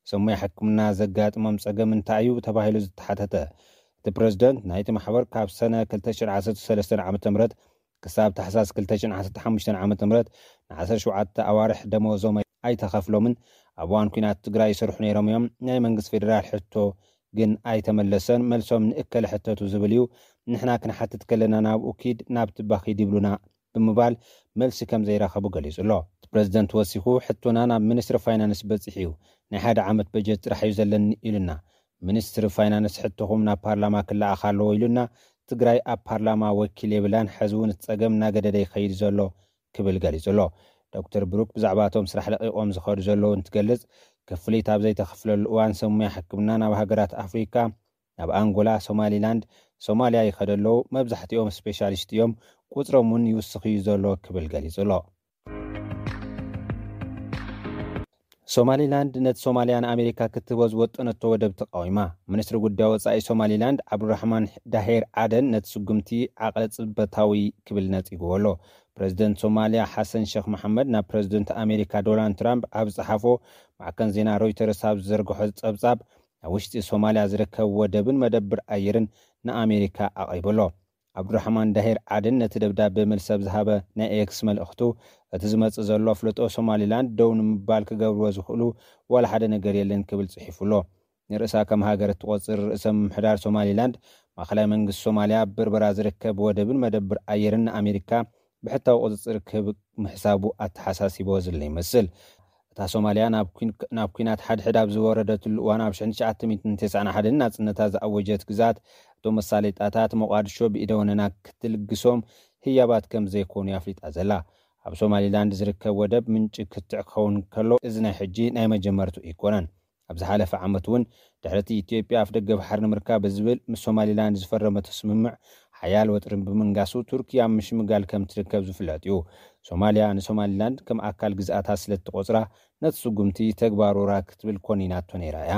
ሰብ ሙያ ሕክምና ዘጋጥሞም ፀገም እንታይ እዩ ተባሂሉ ዝተሓተተ እቲ ፕሬዚደንት፣ ናይቲ ማሕበር ካብ ሰነ ክልተ ሽሕን ዓሰርተ ሰለስተን ዓመተ ምህረት ክሳብ ታሕሳስ ክልተ ሽሕን ዓሰርተ ሓሙሽተን ዓመተ ምህረት ንዓሰርተ ሸውዓተ ኣዋርሕ ደመወዞም ኣይተኸፍሎምን። ኣብ እዋን ኲናት ትግራይ ይሰርሑ ነይሮም እዮም። ናይ መንግስቲ ፌዴራል ሕቶ ግን ኣይተመለሰን። መልሶም ንእከለ ሕተቱ ዝብል እዩ። ንሕና ክንሓትት ከለና ናብኡ ኪድ፣ ናብቲ ባኺድ ይብሉና ብምባል መልሲ ከም ዘይረኸቡ ገሊጹ ኣሎ። እቲ ፕሬዚደንት ወሲኹ፣ ሕቶና ናብ ሚኒስትሪ ፋይናንስ በጺሑ እዩ። ናይ ሓደ ዓመት በጀት ጥራሕ እዩ ዘለኒ ኢሉና። ሚኒስትሪ ፋይናንስ ሕቶኹም ናብ ፓርላማ ክለኣኽ ኣለዎ ኢሉና። ትግራይ ኣብ ፓርላማ ወኪል የብላን። ሕዚ እውን እቲ ጸገም እናገደደ ይኸይድ ዘሎ ክብል ገሊጹ ኣሎ። ዶክተር ብሩክ ብዛዕባ እቶም ስራሕ ለቒቖም ዝኸዱ ዘለዉ እንትገልጽ፣ ክፍሊት ኣብ ዘይተኸፍለሉ እዋን ሰብ ሙያ ሕክምና ናብ ሃገራት ኣፍሪካ፣ ናብ ኣንጎላ፣ ሶማሊላንድ፣ ሶማልያ ይኸዱ ኣለዉ። መብዛሕትኦም ስፔሻሊስት እዮም። ቁፅሮም እውን ይውስኽ እዩ ዘሎ ክብል ገሊጹ ኣሎ። ሶማሊላንድ ነቲ ሶማልያ ንኣሜሪካ ክትህቦ ዝወጠነቶ ወደብ ተቃዊማ። ሚኒስትሪ ጉዳይ ወጻኢ ሶማሊላንድ ዓብዱራሕማን ዳሄር ዓደን ነቲ ስጉምቲ ዓቕለ ጽበታዊ ክብል ነጺግዎ ኣሎ። ፕሬዚደንት ሶማልያ ሓሰን ሸኽ መሓመድ ናብ ፕሬዚደንት ኣሜሪካ ዶናልድ ትራምፕ ኣብ ዝጸሓፎ፣ ማዕከን ዜና ሮይተርስ ኣብ ዝዘርግሖ ጸብጻብ፣ ኣብ ውሽጢ ሶማልያ ዝርከብ ወደብን መደብር ኣየርን ንኣሜሪካ ኣቕሪቡ ኣሎ። ዓብዱራሕማን ዳሄር ዓደን ነቲ ደብዳበ መልሲ ኣብ ዝሃበ ናይ ኤክስ መልእኽቱ፣ እቲ ዝመጽእ ዘሎ ኣፍልጦ ሶማሊላንድ ደው ንምባል ክገብርዎ ዝኽእሉ ዋላ ሓደ ነገር የለን ክብል ጽሒፉ ኣሎ። ንርእሳ ከም ሃገር እትቖጽር ርእሰ ምምሕዳር ሶማሊላንድ፣ ማእኸላይ መንግስቲ ሶማልያ ኣብ በርበራ ዝርከብ ወደብን መደብር ኣየርን ንኣሜሪካ ብሕታዊ ቁጽጽር ክህብ ምሕሳቡ ኣተሓሳሲቦ ዝለ ይመስል። እታ ሶማልያ ናብ ኲን-፣ ናብ ኲናት ሓድሕድ ኣብ ዝወረደትሉ እዋን፣ ኣብ ሽሕን ትሽዓተ ሚእትን ተስዓን ሓደን ናጽነታ ዝኣወጀት ግዝኣት፣ እቶም መሳለይጣታት ሞቓድሾ ብኢደ ወነና ክትልግሶም ህያባት ከም ዘይኮኑ ኣፍሊጣ ዘላ። ኣብ ሶማሊላንድ ዝርከብ ወደብ ምንጪ ክትዕ ክኸውን ከሎ፣ እዚ ናይ ሕጂ ናይ መጀመርቱ ኣይኮነን። ኣብ ዝሓለፈ ዓመት እውን፣ ድሕሪ እቲ ኢትዮጵያ ኣፍደገ ባሕሪ ንምርካብ ብዝብል ምስ ሶማሊላንድ ዝፈረመቶ ስምምዕ ሓያል ወጥሪ ብምንጋሱ፣ ቱርኪ ኣብ ምሽምጋል ከም ትርከብ ዝፍለጥ እዩ። ሶማልያ ንሶማሊላንድ ከም ኣካል ግዝኣታ ስለ እትቖጽራ፣ ነቲ ስጉምቲ ተግባር ወራር ክትብል ኮኒናቶ ነይራ እያ።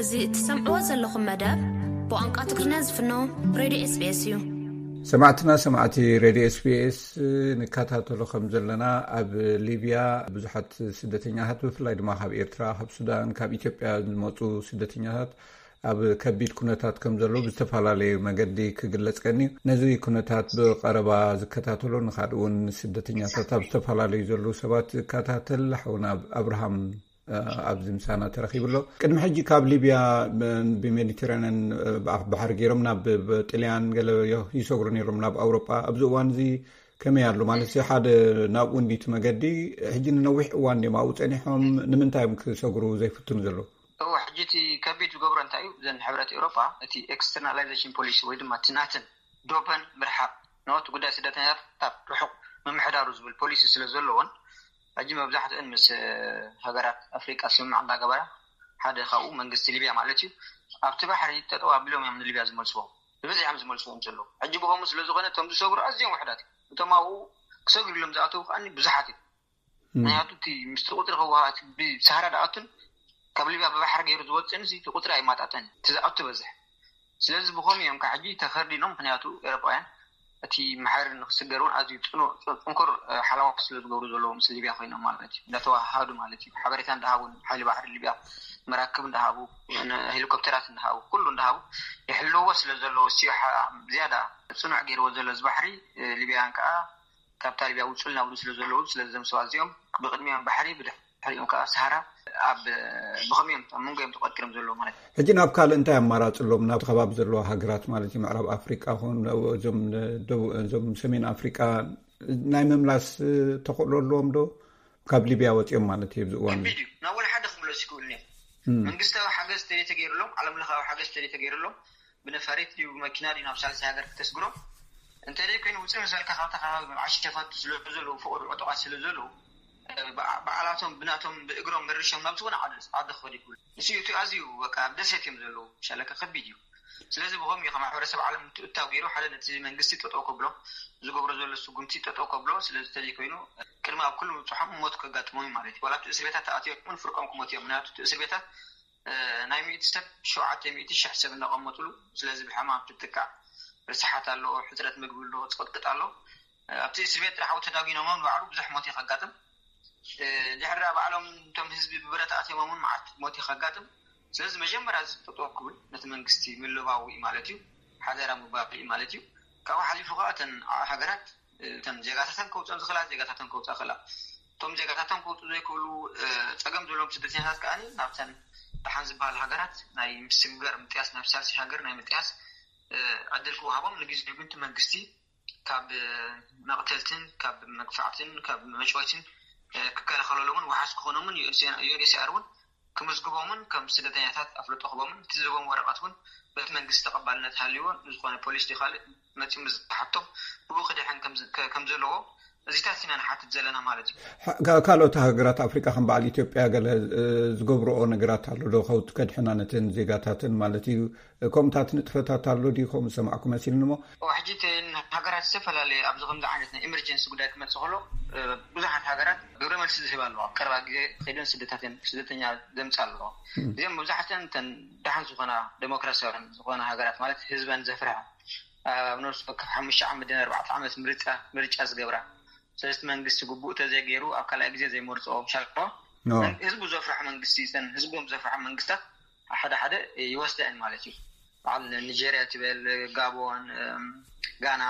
እዚ እትሰምዕዎ ዘለኹም መደብ ብቋንቋ ትግርኛ ዝፍኖ ሬድዮ ኤስቢኤስ እዩ። ሰማዕትና ሰማዕቲ ሬድዮ ኤስቢኤስ፣ ንከታተሎ ከም ዘለና፣ ኣብ ሊብያ ብዙሓት ስደተኛታት፣ ብፍላይ ድማ ካብ ኤርትራ፣ ካብ ሱዳን፣ ካብ ኢትዮጵያ ዝመፁ ስደተኛታት ኣብ ከቢድ ኩነታት ከም ዘለዉ ብዝተፈላለዩ መገዲ ክግለጽ ቀንዩ። ነዚ ኩነታት ብቐረባ ዝከታተሎ፣ ንኻልእ እውን ስደተኛታት ኣብ ዝተፈላለዩ ዘለዉ ሰባት ዝከታተል ሓውና ኣብርሃም ኣብዚ ምሳና ተረኺቡ ኣሎ። ቅድሚ ሕጂ ካብ ሊብያ ብሜዲተራንያን ባሕሪ ገይሮም ናብ ጥልያን ገለ ይሰግሩ ነይሮም ናብ ኣውሮጳ። ኣብዚ እዋን እዚ ከመይ ኣሎ ማለት ሓደ ናብኡ እንዲቲ መገዲ? ሕጂ ንነዊሕ እዋን ድዮም ኣብኡ ጸኒሖም? ንምንታይ እዮም ክሰግሩ ዘይፍትኑ ዘለዉ? እወ፣ ሕጂ እቲ ከቢድ ዝገብሮ እንታይ እዩ? እዘን ሕብረት ኤውሮጳ እቲ ኤክስተርናላይዜሽን ፖሊሲ ወይ ድማ እቲ ናተን ዶበን ምርሓቕ፣ ኖ፣ እቲ ጉዳይ ስደተኛታት ካብ ርሑቕ ምምሕዳሩ ዝብል ፖሊሲ ስለ ዘለዎን፣ ሕጂ መብዛሕትእን ምስ ሃገራት ኣፍሪቃ ስምምዕ እንዳገበራ፣ ሓደ ካብኡ መንግስቲ ሊብያ ማለት እዩ፣ ኣብቲ ባሕሪ ጠጠው ኣቢሎም እዮም ንሊብያ ዝመልስዎም። ብብዝሒ እዮም ዝመልስዎም ዘለዉ። ሕጂ ብኸምኡ ስለ ዝኾነ እቶም ዝሰግሩ ኣዝዮም ውሕዳት እዮም። እቶም ኣብኡ ክሰግሩ ኢሎም ዝኣተዉ ከኣ ብዙሓት እዮም። ምክንያቱ እቲ ምስቲ ቁፅሪ ክወሃ እቲ ብሳህራ ድኣቱን ካብ ሊብያ ብባሕሪ ገይሩ ዝወፅእን እቲ ቁፅሪ ኣይማጣጠን እቲ ዝኣቱ በዝሕ። ስለዚ ብኸምኡ እዮም ከዓ ሕጂ ተኸርዲኖም። ምክንያቱ ኤሮጳውያን እቲ ማሕበር ንክስገር እውን ኣዝዩ ፅኑዕ ፅንኩር ሓለዋ ስለ ዝገብሩ ዘለዉ ምስ ሊብያ ኮይኖም ማለት እዩ፣ እንዳተዋሃዱ ማለት እዩ። ሓበሬታ እንዳሃቡ፣ ሓይሊ ባሕሪ ሊብያ መራክብ እንዳሃቡ፣ ሄሊኮፕተራት እንዳሃቡ፣ ኩሉ እንዳሃቡ ይሕልዎ ስለ ዘለዉ፣ እሱ ዝያዳ ፅኑዕ ገይርዎ ዘሎ እዚ ባሕሪ። ሊብያውያን ከዓ ካብታ ሊብያ ውፁልና ብሉ ስለ ዘለዉ፣ ስለዚ እዞም ሰባት እዚኦም ብቅድሚኦም ባሕሪ፣ ብድሕሪኦም ከዓ ሰሃራ፣ ኣብ ብኸምኦም ኣብ መንጎ እዮም ተቆጢሮም ዘለዉ ማለት እዩ። ሕጂ ናብ ካልእ እንታይ ኣማራፂ ኣሎም? ናብ ከባቢ ዘለዋ ሃገራት ማለት እዩ፣ ምዕራብ ኣፍሪቃ ኹን እዞም ሰሜን ኣፍሪቃ ናይ ምምላስ ተኽእሎ ኣለዎም ዶ? ካብ ሊብያ ወፂኦም ማለት እዩ ኣብዚ እዋን ከቢድ እዩ። ናብ ወላ ሓደ ክምለሱ ይክእሉ እዮም። መንግስታዊ ሓገዝ ተዘይተገይሩሎም፣ ዓለም ለኻዊ ሓገዝ ተዘይተገይሩሎም፣ ብነፋሪት ድዩ ብመኪና ድዩ ናብ ሳልሳይ ሃገር ክተስግሮም? እንተዘይ ኮይኑ ውፅእ ምስ በልካ ካብታ ከባቢ መብዓሽ ሸፋቱ ስለ ዘለዉ፣ ፍቕሪ ዕጡቓት ስለ ዘለዉ፣ በዓላቶም ብናቶም ብእግሮም መርሾም ናብ ዝኾነ ዓዲ ክኸዱ ይኽእሉ። ንሱ እቲ ኣዝዩ በቃ ኣብ ደሴት እዮም ዘለዉ። ሻለካ ከቢድ እዩ። ስለዚ ብኸምኡ እዩ ማሕበረሰብ ዓለም ምትእትታው ገይሩ ሓደ ነቲ መንግስቲ ጠጠው ከብሎ፣ ዝገብሮ ዘሎ ስጉምቲ ጠጠው ከብሎ። ስለዚ ተዘይ ኮይኑ ቅድሚ ኣብ ኩሉ ምብፅሖም ሞት ከጋጥሞም እዩ ማለት እዩ። ዋላ ኣብቲ እስር ቤታት ተኣትዮም እውን ፍርቆም ክሞት እዮም። ምክንያቱ እቲ እስር ቤታት ናይ ሚእቲ ሰብ ሸውዓተ ሚእቲ ሽሕ ሰብ እናቐመጥሉ፣ ስለዚ ብሕማም ትጥቃዕ፣ ርስሓት ኣሎ፣ ሕፅረት ምግቢ ኣሎ፣ ፅቕጥቅጥ ኣሎ። ኣብቲ እስር ቤት ጥራሕ ተዳጒኖም ንባዕሉ ብዙሕ ሞት እዩ ከጋጥም። ድሕሪ ባዕሎም እቶም ህዝቢ ብብረት ኣትዮም እውን መዓት ሞት እዩ ከጋጥም። ስለዚ መጀመርያ እዚ ጠጠው ክብል ነቲ መንግስቲ ምልባው እዩ ማለት እዩ፣ ሓደራ ምባል እዩ ማለት እዩ። ካብኡ ሓሊፉ ከዓ እተን ሃገራት እተን ዜጋታተን ከውፅኦም ዝኽእላ ዜጋታተን ከውፅኣ ክእላ። እቶም ዜጋታቶም ክወፁ ዘይክእሉ ፀገም ዘለዎም ስደተኛታት ከዓ ናብተን ደሓን ዝበሃል ሃገራት ናይ ምስግጋር ምጥያስ፣ ናብ ሳልሲ ሃገር ናይ ምጥያስ ዕድል ክወሃቦም፣ ንግዜኡ ግን እቲ መንግስቲ ካብ መቕተልትን ካብ መግፋዕትን ካብ መጭወይትን ክከላኸለሎምን ዋሓስ ክኾኖምን ዩኤንኤችሲኣር እውን ክምዝግቦምን ከም ስደተኛታት ኣፍልጦ ክቦምን እቲ ዝህቦም ወረቐት እውን በቲ መንግስቲ ተቐባልነት ሃልዎ ንዝኾነ ፖሊስ ድዩ ካልእ መፂኡ ምስ ዝሓቶም ብኡ ክድሕን ከም ዘለዎ እዚታት ኢና ንሓትት ዘለና ማለት እዩ። ካልኦት ሃገራት ኣፍሪቃ ከም በዓል ኢትዮጵያ ገለ ዝገብርኦ ነገራት ኣሎ ዶ? ከውቲ ከድሕና ነተን ዜጋታተን ማለት እዩ። ከምኡታት ንጥፈታት ኣሎ ድዩ? ከምኡ ዝሰማዕኩ መሲልኒ እሞ። ሕጂ እተን ሃገራት ዝተፈላለየ ኣብዚ ከምዚ ዓይነት ናይ ኤመርጀንሲ ጉዳይ ክመፅእ ከሎ ብዙሓት ሃገራት ግብረ መልሲ ዝህባ ኣለዋ። ኣብ ቀረባ ግዜ ከይደን ስደታት እየን ስደተኛ ዘምፅኣ ኣለዋ። እዚኦም መብዛሕትአን እተን ደሓን ዝኾና ዴሞክራሲያውያን ዝኾና ሃገራት ማለት ህዝበን ዘፍርሐ ኣብ ነብሲ ወከፍ ሓሙሽተ ዓመት ድን ኣርባዕተ ዓመት ምርጫ ምርጫ ዝገብራ ስለዚ መንግስቲ ግቡእ ተዘይገይሩ ኣብ ካልኣይ ግዜ ዘይመርፅኦ ሻልባ ህዝቡ ዘፍርሐ መንግስቲ እተን ህዝቦም ዘፍርሐ መንግስታት ሓደ ሓደ ይወስደአን ማለት እዩ። በዓል ኒጀርያ ትበል ጋቦን ጋና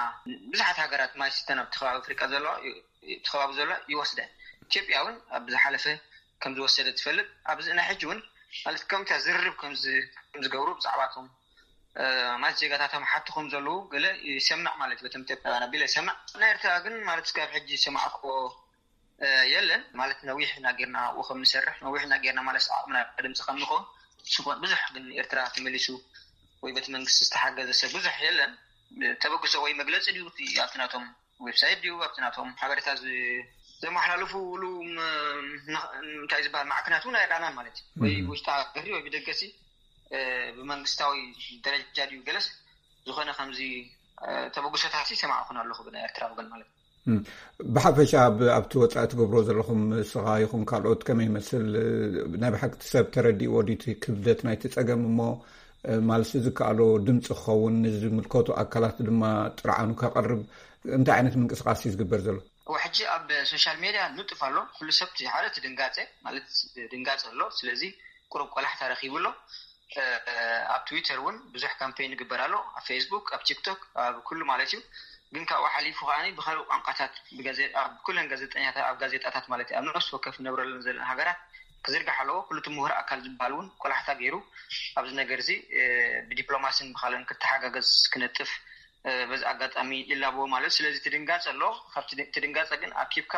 ብዙሓት ሃገራት ማይ ስተን ኣብቲ ከባቢ ኣፍሪቃ ዘለዋ እቲ ከባቢ ዘሎ ይወስደን። ኢትዮጵያ እውን ኣብ ዝሓለፈ ከም ዝወሰደ ትፈልጥ ኣብዚ ናይ ሕጂ እውን ማለት ከምታ ዝርርብ ከም ዝገብሩ ብዛዕባቶም ማለት ዜጋታቶም ሓቲ ከም ዘለዉ ገለ ይሰምዕ ማለት በቶም ኢትዮጵያውያን ኣቢለ ይሰምዕ። ናይ ኤርትራ ግን ማለት እስካብ ሕጂ ዝሰማዕክዎ የለን ማለት ነዊሕ ኢና ጌርና ኣብኡ ከም ንሰርሕ ነዊሕ ኢና ጌርና ማለት ዓቕምና ድምፂ ከም ንኸውን ስኮን ብዙሕ ግን ኤርትራ ተመሊሱ ወይ በቲ መንግስቲ ዝተሓገዘ ሰብ ብዙሕ የለን። ተበግሶ ወይ መግለፂ ድዩ ኣብቲ ናቶም ዌብሳይት ድዩ ኣብቲ ናቶም ሓበሬታ ዘመሓላልፉሉ እንታይ ዝበሃል ማዕከናት እውን ኣይረኣናን ማለት እዩ። ወይ ውሽጢ ሃገር ወይ ብደገሲ ብመንግስታዊ ደረጃ ድዩ ገለስ ዝኾነ ከምዚ ተበግሶታት ይሰማዕኹን ኣለኹ ብናይ ኤርትራ ወገን ማለት እዩ። ብሓፈሻ ኣብቲ ወፃኢ ትገብሮ ዘለኹም ንስኻ ይኹን ካልኦት ከመይ ይመስል? ናይ ብሓቂ እቲ ሰብ ተረዲእዎ ድዩ እቲ ክብደት ናይቲ ፀገም እሞ ማለት ዝከኣሎ ድምፂ ክኸውን፣ ንዝምልከቱ ኣካላት ድማ ጥርዓኑ ከቕርብ እንታይ ዓይነት ምንቅስቃስ እዩ ዝግበር ዘሎ? ሕጂ ኣብ ሶሻል ሜድያ ንጡፍ ኣሎ። ኩሉ ሰብ ሓደ ድንጋፀ ማለት ድንጋፀ ኣሎ። ስለዚ ቁሩብ ቆላሕታ ረኪቡ ኣሎ። ኣብ ትዊተር እውን ብዙሕ ካምፔን ይግበር ኣሎ፣ ኣብ ፌስቡክ፣ ኣብ ቲክቶክ፣ ኣብ ኩሉ ማለት እዩ። ግን ካብኡ ሓሊፉ ከኣ ብካልእ ቋንቋታት ኣብ ኩለን ጋዜጠኛታት፣ ኣብ ጋዜጣታት ማለት ኣብ ነፍሲ ወከፍ ንነብረለን ዘለና ሃገራት ክዝርጋሕ ኣለዎ። ኩሉ እቲ ምሁር ኣካል ዝበሃል እውን ቆላሕታ ገይሩ ኣብዚ ነገር እዚ ብዲፕሎማሲን ብካልእን ክተሓጋገዝ ክነጥፍ በዚ ኣጋጣሚ ይላበዎ ማለት። ስለዚ ትድንጋፀ ኣሎ። ካብቲ ትድንጋፀ ግን ኣኪብካ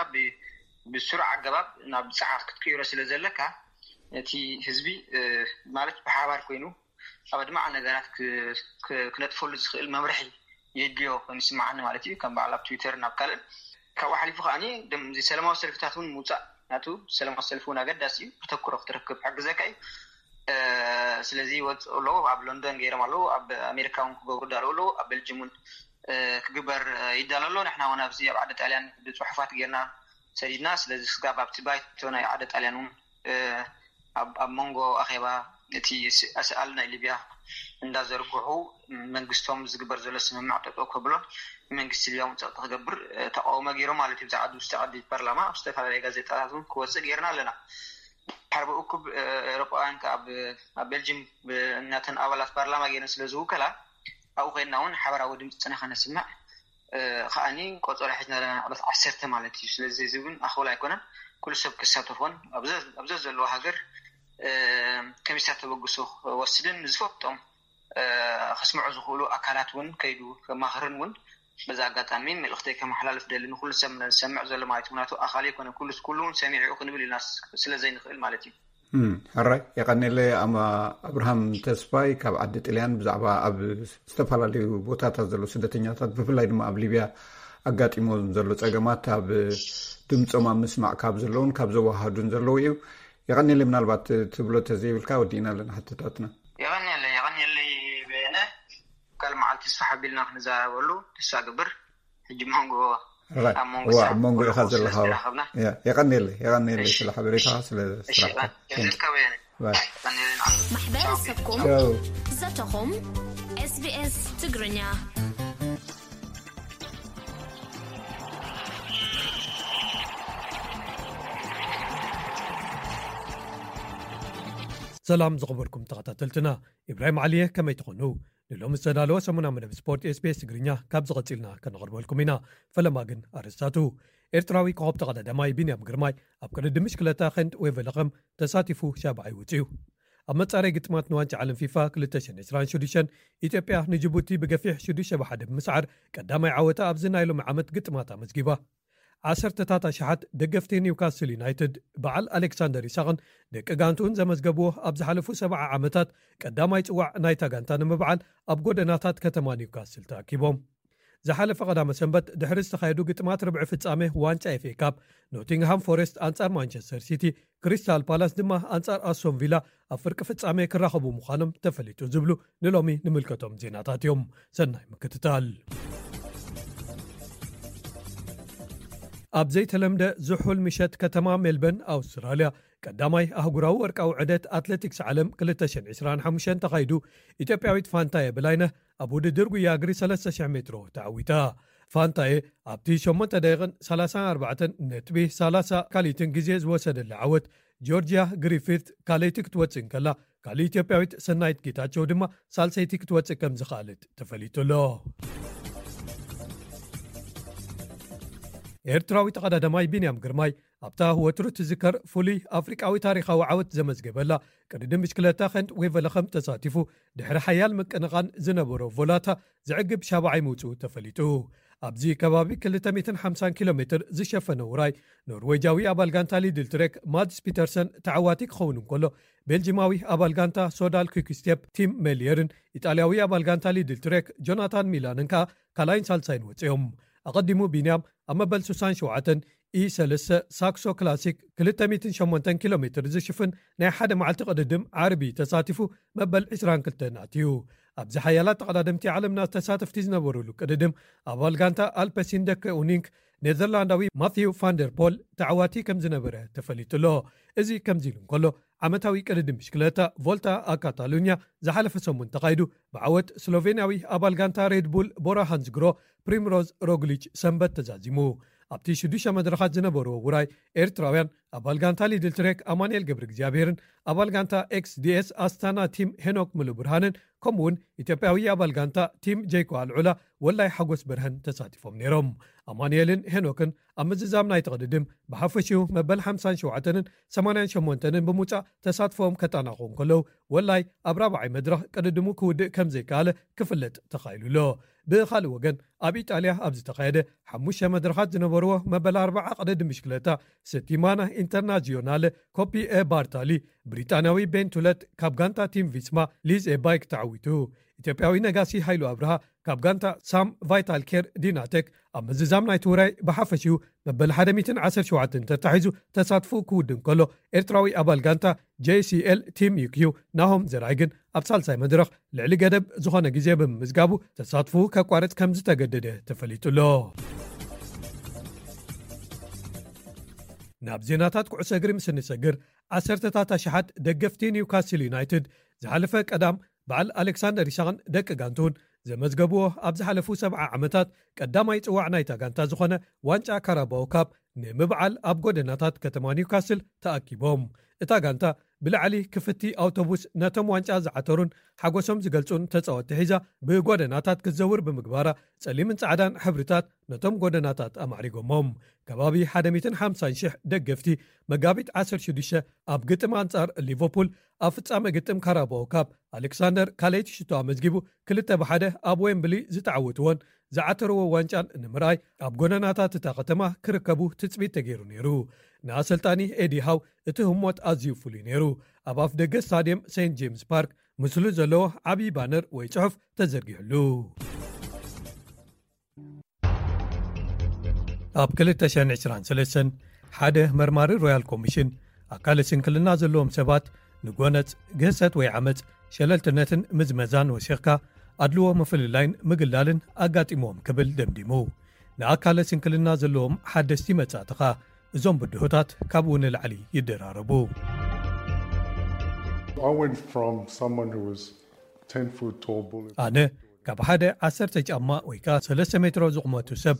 ብስሩዕ ኣገባብ ናብ ፃዕት ክትቅይሮ ስለ ዘለካ፣ እቲ ህዝቢ ማለት ብሓባር ኮይኑ ኣብ ኣድማዕ ነገራት ክነጥፈሉ ዝኽእል መምርሒ የድልዮ ኮይኑ ይስምዓኒ ማለት እዩ። ከም በዓል ኣብ ትዊተር ናብ ካልእ ካብኡ ሓሊፉ ከዓኒ እዚ ሰላማዊ ሰልፍታት እውን ምውፃእ ናቱ ሰላማዊ ሰልፊ እውን ኣገዳሲ እዩ። ክተክሮ ክትረክብ ሓግዘካ እዩ። ስለዚ ይወፅኡ ኣለዉ፣ ኣብ ሎንዶን ገይሮም ኣለዉ፣ ኣብ ኣሜሪካ እውን ክገብሩ ዳለዉ ኣለዉ፣ ኣብ ቤልጅም እውን ክግበር ይዳሎ ኣሎ። ንሕና እውን ኣብዚ ኣብ ዓዲ ጣልያን ብፅሑፋት ጌርና ሰዲድና። ስለዚ ስጋብ ኣብቲ ባይቶ ናይ ዓዲ ጣልያን እውን ኣብ መንጎ ኣኼባ እቲ ኣስኣል ናይ ሊብያ እንዳዘርግሑ መንግስቶም ዝግበር ዘሎ ስምምዕ ጠጠው ከብሎን መንግስቲ ሊብያ እውን ፀቕጢ ክገብር ተቃውሞ ገይሮም ማለት እዩ። ብዛዕባ ውሽጢ ዓዲ ፓርላማ ኣብ ዝተፈላለዩ ጋዜጣታት እውን ክወፅእ ገይርና ኣለና። ሓርበ እኩብ ኤሮጳውያን ከ ኣብ ቤልጅም እናተን ኣባላት ፓርላማ ገይረን ስለ ዝውከላ ኣብኡ ኮይንና እውን ሓበራዊ ድምፅና ከነስምዕ ከዓኒ ቆፀሮ ሒዝና ኣለና፣ ዕለት ዓሰርተ ማለት እዩ። ስለዚ እዚ እውን ኣኸውላ ኣይኮነን፣ ኩሉ ሰብ ክሳተፎን ኣብ ዘዘለዎ ሃገር ከሚሳ ተበግሶ ክወስድን ንዝፈልጦም ከስምዑ ዝኽእሉ ኣካላት እውን ከይዱ ከማኽርን እውን በዛ ኣጋጣሚ መልእክተይ ከመሓላልፍ ደሊ፣ ንኩሉ ሰብ ዝሰምዕ ዘሎ ማለት ምክንያቱ ኣኻሊ ኣይኮነ ኩሉ ኩሉ እውን ሰሚዑ ክንብል ኢልና ስለ ዘይንኽእል ማለት እዩ። ሕራይ የቐኔለ። ኣማ ኣብርሃም ተስፋይ ካብ ዓዲ ጥልያን ብዛዕባ ኣብ ዝተፈላለዩ ቦታታት ዘለዉ ስደተኛታት ብፍላይ ድማ ኣብ ሊብያ ኣጋጢሞም ዘሎ ጸገማት ኣብ ድምፆም ኣብ ምስማዕ ካብ ዘለውን ካብ ዘወሃዱን ዘለዉ እዩ። የቐኔለ። ምናልባት ትብሎ ተዘይብልካ ወዲእና ኣለና ሕቶታትና። የቐኔለ የቐኔለ። በየነ፣ ካልእ መዓልቲ ስራሕ ኣቢልና ክንዘራረበሉ ተስፋ ግብር። ሕጂ መንጎ ኣብ መንጎ ኣብ መንጎ ኢኻ ዘለኻ። የቐኔለ የቐኔለ ስለ ሓበሬታ ስለ ስራሕካ። ማሕበረሰብኩም ዘተኹም። ኤስቢኤስ ትግርኛ። ሰላም ዝኸበርኩም ተኸታተልትና፣ ኢብራሂም ዓሊየ፣ ከመይ ትኾኑ? ንሎሚ ዝተዳለወ ሰሙና መደብ ስፖርት ኤስቢኤስ ትግርኛ ካብ ዝቐጺልና ከነቕርበልኩም ኢና። ፈለማ ግን ኣርእስታቱ። ኤርትራዊ ኮኸብ ተቐዳዳማይ ቢንያም ግርማይ ኣብ ቅድድም ብሽክለታ ኸንት ዌቨለኸም ተሳቲፉ ሻብዓይ ወጺኡ። ኣብ መጻረይ ግጥማት ንዋንጫ ዓለም ፊፋ ክልተ ሽሕን ዕስራን ሽዱሽተን ኢትዮጵያ ንጅቡቲ ብገፊሕ ሽዱሽተ ብሓደ ብምስዓር ቀዳማይ ዓወታ ኣብዚ ናይ ሎሚ ዓመት ግጥማት ኣመዝጊባ። ዓሰርተታት ኣሽሓት ደገፍቲ ኒውካስል ዩናይትድ በዓል ኣሌክሳንደር ኢሳቕን ደቂ ጋንትኡን ዘመዝገብዎ ኣብ ዝሓለፉ ሰብዓ ዓመታት ቀዳማይ ጽዋዕ ናይታ ጋንታ ንምብዓል ኣብ ጎደናታት ከተማ ኒውካስል ተኣኪቦም። ዝሓለፈ ቀዳመ ሰንበት ድሕሪ ዝተኻየዱ ግጥማት ርብዒ ፍጻሜ ዋንጫ ኤፍኤ ካፕ፣ ኖቲንግሃም ፎረስት ኣንጻር ማንቸስተር ሲቲ፣ ክሪስታል ፓላስ ድማ ኣንጻር ኣስቶን ቪላ ኣብ ፍርቂ ፍጻሜ ክራኸቡ ምዃኖም ተፈሊጡ ዝብሉ ንሎሚ ንምልከቶም ዜናታት እዮም። ሰናይ ምክትታል። ኣብ ዘይተለምደ ዝሑል ምሸት ከተማ ሜልበርን ኣውስትራልያ ቀዳማይ ኣህጉራዊ ወርቃዊ ዕደት ኣትሌቲክስ ዓለም ክልተ ሽሕን ዕስራን ሓሙሽተን ተኻይዱ። ኢትዮጵያዊት ፋንታየ በላይነህ ኣብ ውድድር ጉያ እግሪ ሰለስተ ሽሕ ሜትሮ ተዓዊታ። ፋንታየ ኣብቲ ሸሞንተ ደቂቕን ሰላሳን ኣርባዕተን ነጥቢ ሰላሳ ካልኢትን ግዜ ዝወሰደላ ዓወት ጆርጅያ ግሪፊት ካልኣይቲ ክትወጽእ እንከላ፣ ካልእ ኢትዮጵያዊት ሰናይት ጌታቸው ድማ ሳልሰይቲ ክትወጽእ ከም ዝኸኣለት ተፈሊጡ ኣሎ። ኤርትራዊ ተቐዳዳማይ ቢንያም ግርማይ ኣብታ ወትሩ ትዝከር ፍሉይ ኣፍሪቃዊ ታሪኻዊ ዓወት ዘመዝገበላ ቅድድም ብሽክለታ ኸንት ዌቨለኸም ተሳቲፉ ድሕሪ ሓያል ምቅንቓን ዝነበሮ ቮላታ ዘዕግብ ሻብዓይ ምውጽኡ ተፈሊጡ። ኣብዚ ከባቢ ክልተ ሚእትን ሓምሳን ኪሎ ሜትር ዝሸፈነ ውራይ ኖርዌጃዊ ኣባል ጋንታ ሊድል ትሬክ ማድስ ፒተርሰን ተዓዋቲ ክኸውን እንከሎ፣ ቤልጂማዊ ኣባል ጋንታ ሶዳል ኩክስቴፕ ቲም ሜልየርን ኢጣልያዊ ኣባል ጋንታ ሊድል ትሬክ ጆናታን ሚላንን ከኣ ካልኣይን ሳልሳይን ወጺኦም። ኣቐዲሙ ቢንያም ኣብ መበል ስሳን ሸውዓተን ኢ ሰለስተ ሳክሶ ክላሲክ ክልተ ሚእትን ሸሞንተን ኪሎ ሜትር ዝሽፍን ናይ ሓደ መዓልቲ ቅድድም ዓርቢ ተሳቲፉ መበል ዕስራን ክልተን ኣትዩ። ኣብዚ ሓያላት ተቐዳደምቲ ዓለምና ተሳተፍቲ ዝነበሩሉ ቅድድም ኣባል ጋንታ ኣልፐሲን ደከ ኡኒንክ ኔዘርላንዳዊ ማቲው ፋንደር ፖል ተዓዋቲ ከም ዝነበረ ተፈሊጡ ኣሎ። እዚ ከምዚ ኢሉ እንከሎ፣ ዓመታዊ ቅድድም ብሽክለታ ቮልታ ኣካታሉኛ ዝሓለፈ ሰሙን ተኻይዱ ብዓወት ስሎቬንያዊ ኣባል ጋንታ ሬድቡል ቦራ ሃንዝግሮ ፕሪምሮዝ ሮግሊች ሰንበት ተዛዚሙ። ኣብቲ ሽዱሽተ መድረኻት ዝነበርዎ ውራይ ኤርትራውያን ኣባል ጋንታ ሊድል ትሬክ ኣማንኤል ገብረ እግዚኣብሔርን ኣባል ጋንታ ኤክስዲኤስ ኣስታና ቲም ሄኖክ ምሉ ብርሃንን ከምኡውን ኢትዮጵያዊ ኣባል ጋንታ ቲም ጀይኮ ኣልዑላ ወላይ ሓጎስ በርሀን ተሳቲፎም ነይሮም። ኣማንኤልን ሄኖክን ኣብ ምዝዛም ናይ ተቕድድም ብሓፈሽኡ መበል ሓምሳን ሸውዓተንን ሰማንያን ሸሞንተንን ብምውፃእ ተሳትፎም ከጠናቑ እንከለዉ ወላይ ኣብ ራብዓይ መድረኽ ቅድድሙ ክውድእ ከም ዘይከኣለ ክፍለጥ ተኻኢሉ ኣሎ። ብኻልእ ወገን ኣብ ኢጣልያ ኣብ ዝተኻየደ ሓሙሽተ መድረኻት ዝነበርዎ መበል ኣርባዓ ቅድድም ብሽክለታ ሰቲማና ኢንተርናዚዮናለ ኮፒ ኤ ባርታሊ ብሪጣንያዊ ቤንቱለት ካብ ጋንታ ቲም ቪስማ ሊዝ ኤ ባይክ ተዓዊቱ። ኢትዮጵያዊ ነጋሲ ሃይሉ ኣብርሃ ካብ ጋንታ ሳም ቫይታል ኬር ዲናቴክ ኣብ ምዝዛም ናይቲ ውራይ ብሓፈሽኡ መበል ሓደ ሚእትን ዓሰርተ ሸውዓተን ተታሒዙ ተሳትፎ ክውድእ እንከሎ ኤርትራዊ ኣባል ጋንታ ጄሲኤል ቲም ዩኪዩ ናሆም ዘርኣይ ግን ኣብ ሳልሳይ መድረኽ ልዕሊ ገደብ ዝኾነ ግዜ ብምምዝጋቡ ተሳትፎ ከቋርጽ ከም ዝተገደደ ተፈሊጡ ኣሎ። ናብ ዜናታት ኩዕሶ እግሪ ምስ እንሰግር ዓሰርተታት ኣሽሓት ደገፍቲ ኒውካስል ዩናይትድ ዝሓለፈ ቀዳም በዓል ኣሌክሳንደር ኢሳቕን ደቂ ጋንቱን ዘመዝገብዎ ኣብ ዝሓለፉ ሰብዓ ዓመታት ቀዳማይ ጽዋዕ ናይታ ጋንታ ዝኾነ ዋንጫ ካራባኦ ካፕ ንምብዓል ኣብ ጎደናታት ከተማ ኒውካስል ተኣኪቦም። እታ ጋንታ ብላዕሊ ክፍቲ ኣውቶቡስ ነቶም ዋንጫ ዝዓተሩን ሓጎሶም ዝገልጹን ተጻወትቲ ሒዛ ብጎደናታት ክትዘውር ብምግባራ ጸሊምን ጻዕዳን ሕብርታት ነቶም ጎደናታት ኣማዕሪጎሞም። ከባቢ ሓደ ሚእትን ሓምሳን ሽሕ ደገፍቲ መጋቢት ዓሰርተ ሽዱሽተ ኣብ ግጥም ኣንጻር ሊቨርፑል ኣብ ፍጻመ ግጥም ካራባኦ ካፕ ኣሌክሳንደር ካልኣይቲ ሽቶ ኣመዝጊቡ ክልተ ብሓደ ኣብ ዌምብሊ ዝተዓወትዎን ዝዓተርዎ ዋንጫን ንምርኣይ ኣብ ጎደናታት እታ ከተማ ክርከቡ ትጽቢት ተገይሩ ነይሩ። ንኣሰልጣኒ ኤዲ ሃው እቲ ህሞት ኣዝዩ ፍሉይ ነይሩ። ኣብ ኣፍ ደገ ስታድየም ሴንት ጄምስ ፓርክ ምስሉ ዘለዎ ዓብዪ ባነር ወይ ጽሑፍ ተዘርጊሕሉ። ኣብ ክልተ ሽሕን ዕስራን ሰለስተን ሓደ መርማሪ ሮያል ኮሚሽን ኣካለ ስንክልና ዘለዎም ሰባት ንጎነጽ፣ ግህሰት ወይ ዓመጽ፣ ሸለልትነትን ምዝመዛን ወሲኽካ ኣድልዎ ምፍልላይን ምግላልን ኣጋጢሞም ክብል ደምዲሙ። ንኣካለ ስንክልና ዘለዎም ሓደስቲ መጻእትኻ እዞም ብድሆታት ካብኡ ንላዕሊ ይደራረቡ። I went from someone who was ten foot tall bullet. ኣነ ካብ ሓደ ዓሰርተ ጫማ ወይ ከኣ ሰለስተ ሜትሮ ዝቑመቱ ሰብ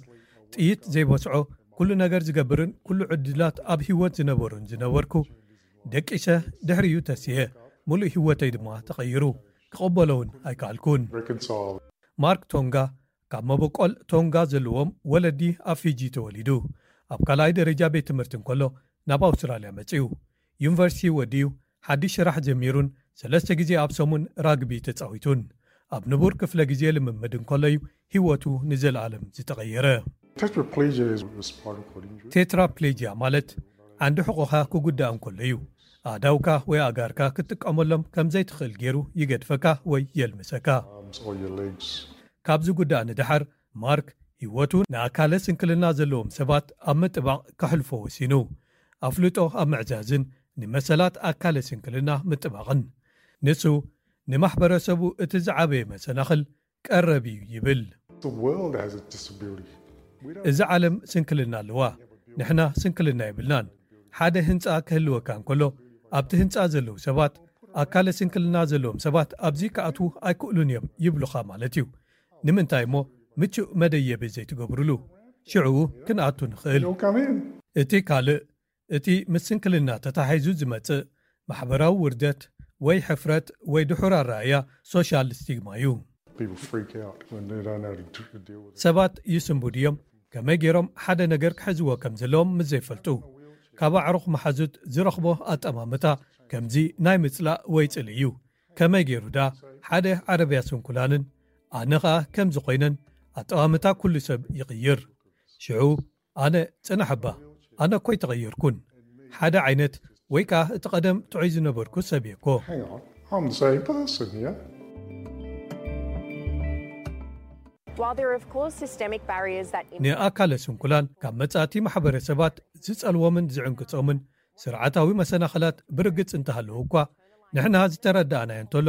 ጥይት ዘይበስዖ ኩሉ ነገር ዝገብርን ኩሉ ዕድላት ኣብ ህይወት ዝነበሩን ዝነበርኩ ደቂሰ ድሕሪኡ ተስየ ሙሉእ ህይወተይ ድማ ተቐይሩ ክቕበሎ እውን ኣይከኣልኩን። Reconcile. ማርክ ቶንጋ ካብ መበቆል ቶንጋ ዘለዎም ወለዲ ኣብ ፊጂ ተወሊዱ ኣብ ካልኣይ ደረጃ ቤት ትምህርቲ እንከሎ ናብ ኣውስትራልያ መጺኡ ዩኒቨርሲቲ ወዲኡ ሓድሽ ስራሕ ጀሚሩን ሰለስተ ግዜ ኣብ ሰሙን ራግቢ ተጻዊቱን ኣብ ንቡር ክፍለ ግዜ ልምምድ እንከሎ እዩ ህይወቱ ንዘለኣለም ዝተቐየረ። Tetraplegia is a spinal cord injury. ቴትራፕሌጂያ ማለት ዓንዲ ሕቖኻ ክጉዳእ እንከሎ እዩ ኣእዳውካ ወይ ኣእጋርካ ክትጥቀመሎም ከም ዘይትኽእል ገይሩ ይገድፈካ ወይ የልምሰካ። Arms or your legs. ካብ ዝጉዳእ ንደሓር ማርክ ህይወቱ ንኣካለ ስንክልና ዘለዎም ሰባት ኣብ ምጥባቕ ከሕልፎ ወሲኑ ኣፍልጦ ኣብ ምዕዛዝን ንመሰላት ኣካለ ስንክልና ምጥባቕን ንሱ ንማሕበረሰቡ እቲ ዝዓበየ መሰናኽል ቀረብ እዩ ይብል። The world has a disability. We don't እዚ ዓለም ስንክልና ኣለዋ። ንሕና ስንክልና የብልናን። ሓደ ህንፃ ክህልወካ እንከሎ ኣብቲ ህንፃ ዘለዉ ሰባት ኣካለ ስንክልና ዘለዎም ሰባት ኣብዚ ክኣትዉ ኣይክእሉን እዮም ይብሉኻ ማለት እዩ። ንምንታይ እሞ ምቹእ መደየቢ ዘይትገብሩሉ? ሽዕኡ ክንኣቱ ንኽእል። You'll come in. እቲ ካልእ እቲ ምስ ስንክልና ተታሒዙ ዝመጽእ ማሕበራዊ ውርደት ወይ ሕፍረት ወይ ድሑር ኣረኣእያ ሶሻል ስቲግማ እዩ። People freak out when they don't know how to deal with it. ሰባት ይስንቡድ እዮም። ከመይ ገይሮም ሓደ ነገር ክሕዝዎ ከም ዘለዎም ምስ ዘይፈልጡ ካብ ኣዕሩኽ መሓዙት ዝረኽቦ ኣጠማምታ ከምዚ ናይ ምጽላእ ወይ ጽልኢ እዩ። ከመይ ገይሩ ዳ ሓደ ዓረብያ ስንኩላንን ኣነ ኸኣ ከምዚ ኮይነን ኣጠማምታ ኩሉ ሰብ ይቕይር። ሽዑ ኣነ ጽናሕ እባ ኣነ እኮ ኣይተቐየርኩን ሓደ ዓይነት ወይ ከኣ እቲ ቀደም ጥዑይ ዝነበርኩ ሰብ እየ እኮ። Hang on, I'm the same person here. While there are, of course, systemic barriers that ንኣካለ ስንኩላን ካብ መጻእቲ ማሕበረሰባት ዝጸልዎምን ዝዕንቅጾምን ስርዓታዊ መሰናኽላት ብርግጽ እንተሃለዉ እኳ ንሕና ዝተረዳእናዮ እንተሎ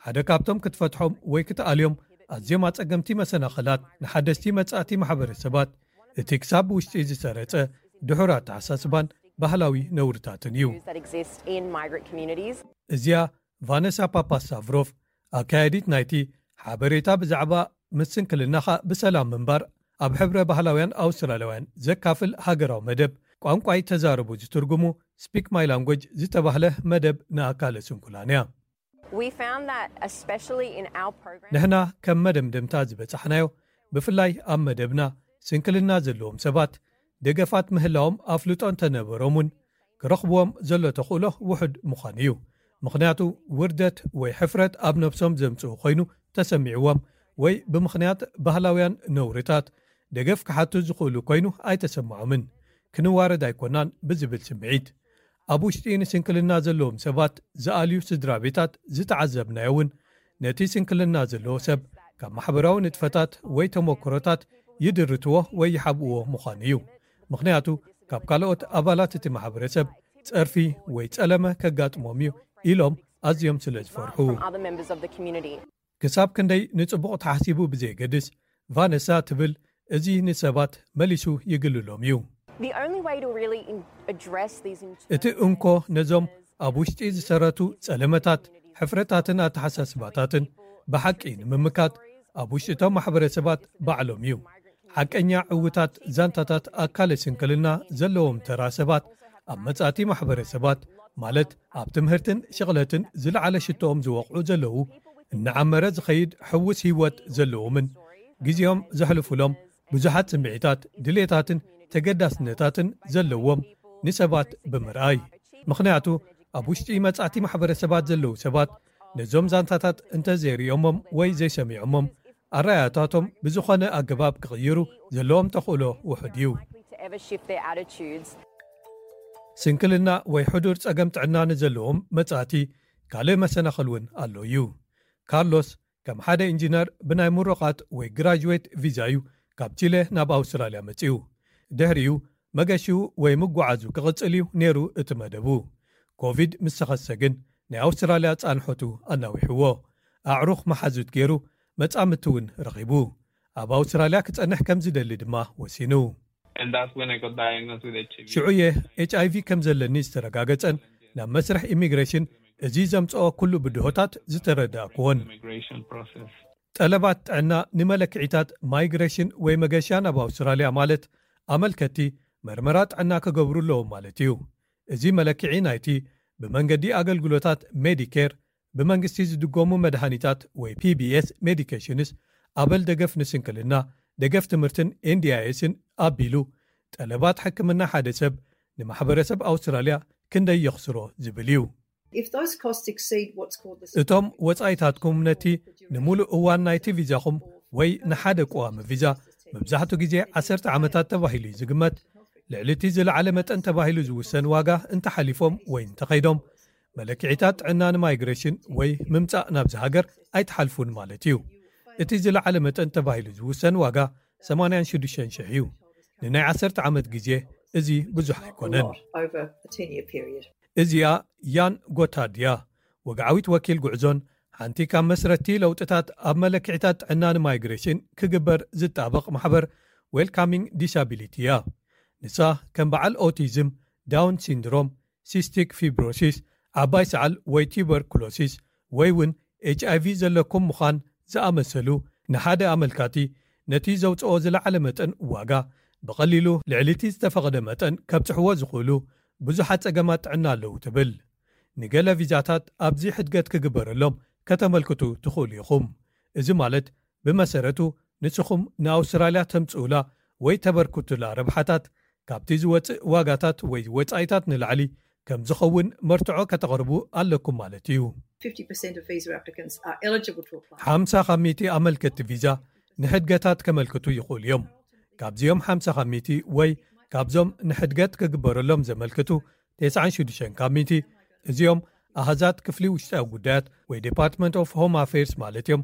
ሓደ ካብቶም ክትፈትሖም ወይ ክትኣልዮም ኣዝዮም ኣጸገምቲ መሰናኽላት ንሓደስቲ መጻእቲ ማሕበረሰባት እቲ ክሳብ ውሽጢ ዝሰረጸ ድሑር ኣተሓሳስባን ባህላዊ ነውርታትን እዩ። That exist in migrant communities. እዚኣ ቫነሳ ፓፓስታቭሮቭ፣ ኣካያዲት ናይቲ ሓበሬታ ብዛዕባ ምስንክልናኻ ብሰላም ምንባር ኣብ ሕብረ ባህላውያን ኣውስትራልያውያን ዘካፍል ሃገራዊ መደብ፣ ቋንቋይ ተዛረቡ ዝትርጉሙ፣ ስፒክ ማይ ላንጎጅ ዝተባህለ መደብ ንኣካለ ስንኩላን እያ። We found that, especially in our program, ንሕና ከም መደምደምታ ዝበጻሕናዮ፣ ብፍላይ ኣብ መደብና፣ ስንክልና ዘለዎም ሰባት ደገፋት ምህላዎም ኣፍልጦ እንተነበሮም እውን፣ ክረኽብዎም ዘሎ ተኽእሎ ውሑድ ምዃኑ እዩ። ምኽንያቱ፣ ውርደት ወይ ሕፍረት ኣብ ነብሶም ዘምጽኡ ኮይኑ ተሰሚዕዎም፣ ወይ ብምኽንያት ባህላውያን ነውርታት ደገፍ ክሓቱ ዝኽእሉ ኮይኑ ኣይተሰምዖምን። ክንዋረድ ኣይኮናን ብዝብል ስምዒት፣ ኣብ ውሽጢ ንስንክልና ዘለዎም ሰባት ዝኣልዩ ስድራ ቤታት ዝተዓዘብናዮ እውን፣ ነቲ ስንክልና ዘለዎ ሰብ ካብ ማሕበራዊ ንጥፈታት ወይ ተመክሮታት ይድርትዎ ወይ ይሓብእዎ ምዃኑ እዩ። ምኽንያቱ፣ ካብ ካልኦት ኣባላት እቲ ማሕበረሰብ ጸርፊ ወይ ጸለመ ከጋጥሞም እዩ ኢሎም ኣዝዮም ስለ ዝፈርሑ። From other members of the community. ክሳብ ክንደይ ንጽቡቕ ተሓሲቡ ብዘየገድስ፣ ቫነሳ ትብል፣ እዚ ንሰባት መሊሱ ይግልሎም እዩ። The only way to really in- address these እቲ እንኮ ነዞም ኣብ ውሽጢ ዝሰረቱ ጸለመታት፣ ሕፍረታትን ኣተሓሳስባታትን ብሓቂ ንምምካት፣ ኣብ ውሽጢ እቶም ማሕበረሰባት ባዕሎም እዩ። ሓቀኛ ዕውታት ዛንታታት ኣካለ ስንክልና ዘለዎም ተራ ሰባት ኣብ መጻእቲ ማሕበረሰባት፣ ማለት ኣብ ትምህርትን ሽቕለትን ዝለዓለ ሽቶኦም ዝወቕዑ ዘለዉ፣ እናዓመረ ዝኸይድ ሕውስ ህይወት ዘለዎምን ግዜኦም ዘሕልፉሎም ብዙሓት ስምዒታት፣ ድሌታትን ተገዳስነታትን ዘለዎም ንሰባት ብምርኣይ። ምኽንያቱ፣ ኣብ ውሽጢ መጻእቲ ማሕበረሰባት ዘለዉ ሰባት ነዞም ዛንታታት እንተዘይርእዮሞም ወይ ዘይሰሚዖሞም፣ ኣረኣእያታቶም ብዝኾነ ኣገባብ ክቕይሩ ዘለዎም ተኽእሎ ውሑድ እዩ። To ever shift their attitudes. ስንክልና ወይ ሕዱር ጸገም ጥዕና ንዘለዎም መጻእቲ ካልእ መሰናኽል እውን ኣሎ እዩ። ካርሎስ ከም ሓደ ኢንጂነር ብናይ ምሩቓት ወይ ግራጅዌት ቪዛ እዩ ካብ ቺለ ናብ ኣውስትራልያ መጺኡ። ድሕሪኡ መገሽኡ ወይ ምጓዓዙ ክቕጽል እዩ ነይሩ እቲ መደቡ። ኮቪድ ምስ ተኸሰተ ግን ናይ ኣውስትራልያ ጻንሖቱ ኣናዊሕዎ። ኣዕሩኽ መሓዙት ገይሩ መጻምድቲ እውን ረኺቡ። ኣብ ኣውስትራልያ ክጸንሕ ከም ዝደሊ ድማ ወሲኑ። And that's when I got diagnosed with H I V. ሽዑ እየ ኤች ኣይ ቪ ከም ዘለኒ ዝተረጋገጸን ናብ መስርሕ ኢሚግሬሽን እዚ ዘምጽኦ ኩሉ ብድሆታት ዝተረዳእኩዎን። Immigration process. ጠለባት ጥዕና ንመለክዒታት ማይግሬሽን ወይ መገሻ ናብ ኣውስትራልያ ማለት ኣመልከቲ መርመራ ጥዕና ክገብሩ ኣለዎም ማለት እዩ። እዚ መለክዒ ናይቲ ብመንገዲ ኣገልግሎታት ሜዲኬር፣ ብመንግስቲ ዝድጎሙ መድሃኒታት ወይ ፒ ቢ ኤስ ሜዲኬሽንስ፣ ኣበል ደገፍ ንስንክልና፣ ደገፍ ትምህርትን ኤን ዲ ኣይ ኤስን ኣቢሉ፣ ጠለባት ሕክምና ሓደ ሰብ ንማሕበረሰብ ኣውስትራልያ ክንደይ የኽስሮ ዝብል እዩ። If those costs exceed what's called the እቶም ወጻኢታትኩም ነቲ ንምሉእ እዋን ናይቲ ቪዛኹም ወይ ንሓደ ቀዋሚ ቪዛ፣ መብዛሕትኡ ግዜ ዓሰርተ ዓመታት ተባሂሉ እዩ ዝግመት፣ ልዕሊ እቲ ዝለዓለ መጠን ተባሂሉ ዝውሰን ዋጋ እንተሓሊፎም ወይ እንተኸይዶም፣ መለክዒታት ጥዕና ንማይግሬሽን ወይ ምምጻእ ናብዚ ሃገር ኣይትሓልፉን ማለት እዩ። እቲ ዝለዓለ መጠን ተባሂሉ ዝውሰን ዋጋ ሰማንያን ሽዱሽተን ሽሕ እዩ። ንናይ ዓሰርተ ዓመት ግዜ እዚ ብዙሕ ኣይኮነን። Over a ten-year period. እዚኣ ያን ጎታርድ እያ፣ ወግዓዊት ወኪል ጉዕዞን ሓንቲ ካብ መስረቲ ለውጥታት ኣብ መለክዒታት ጥዕና ንማይግሬሽን ክግበር ዝጣበቕ ማሕበር ዌልካሚንግ ዲሳቢሊቲ እያ። ንሳ ከም በዓል ኦቲዝም፣ ዳውን ሲንድሮም፣ ሲስቲክ ፊብሮሲስ፣ ዓባይ ሰዓል ወይ ቱበርኩሎሲስ ወይ እውን ኤች ኣይ ቪ ዘለኩም ምዃን ዝኣመሰሉ ንሓደ ኣመልካቲ ነቲ ዘውፅኦ ዝለዓለ መጠን ዋጋ ብቐሊሉ ልዕሊ እቲ ዝተፈቐደ መጠን ከብፅሕዎ ዝኽእሉ ብዙሓት ጸገማት ጥዕና ኣለዉ ትብል። ንገለ ቪዛታት ኣብዚ ሕድገት ክግበረሎም ከተመልክቱ ትኽእሉ ኢኹም። እዚ ማለት ብመሰረቱ ንስኹም ንኣውስትራልያ ተምጽኡላ ወይ ተበርክቱላ ረብሓታት ካብቲ ዝወጽእ ዋጋታት ወይ ወጻኢታት ንላዕሊ ከም ዝኸውን መርትዖ ከተቕርቡ ኣለኩም ማለት እዩ። Fifty percent of visa applicants are eligible to apply. ሓምሳ ካብ ሚእቲ ኣመልከቲ ቪዛ ንሕድገታት ከመልክቱ ይኽእሉ እዮም። ካብዚኦም ሓምሳ ካብ ሚእቲ ወይ ካብዞም ንሕድገት ክግበረሎም ዘመልክቱ ተስዓን ሽዱሽተን ካብ ሚእቲ፣ እዚኦም ኣሃዛት ክፍሊ ውሽጣዊ ጉዳያት ወይ ዲፓርትመንት ኦፍ ሆም ኣፌርስ ማለት እዮም።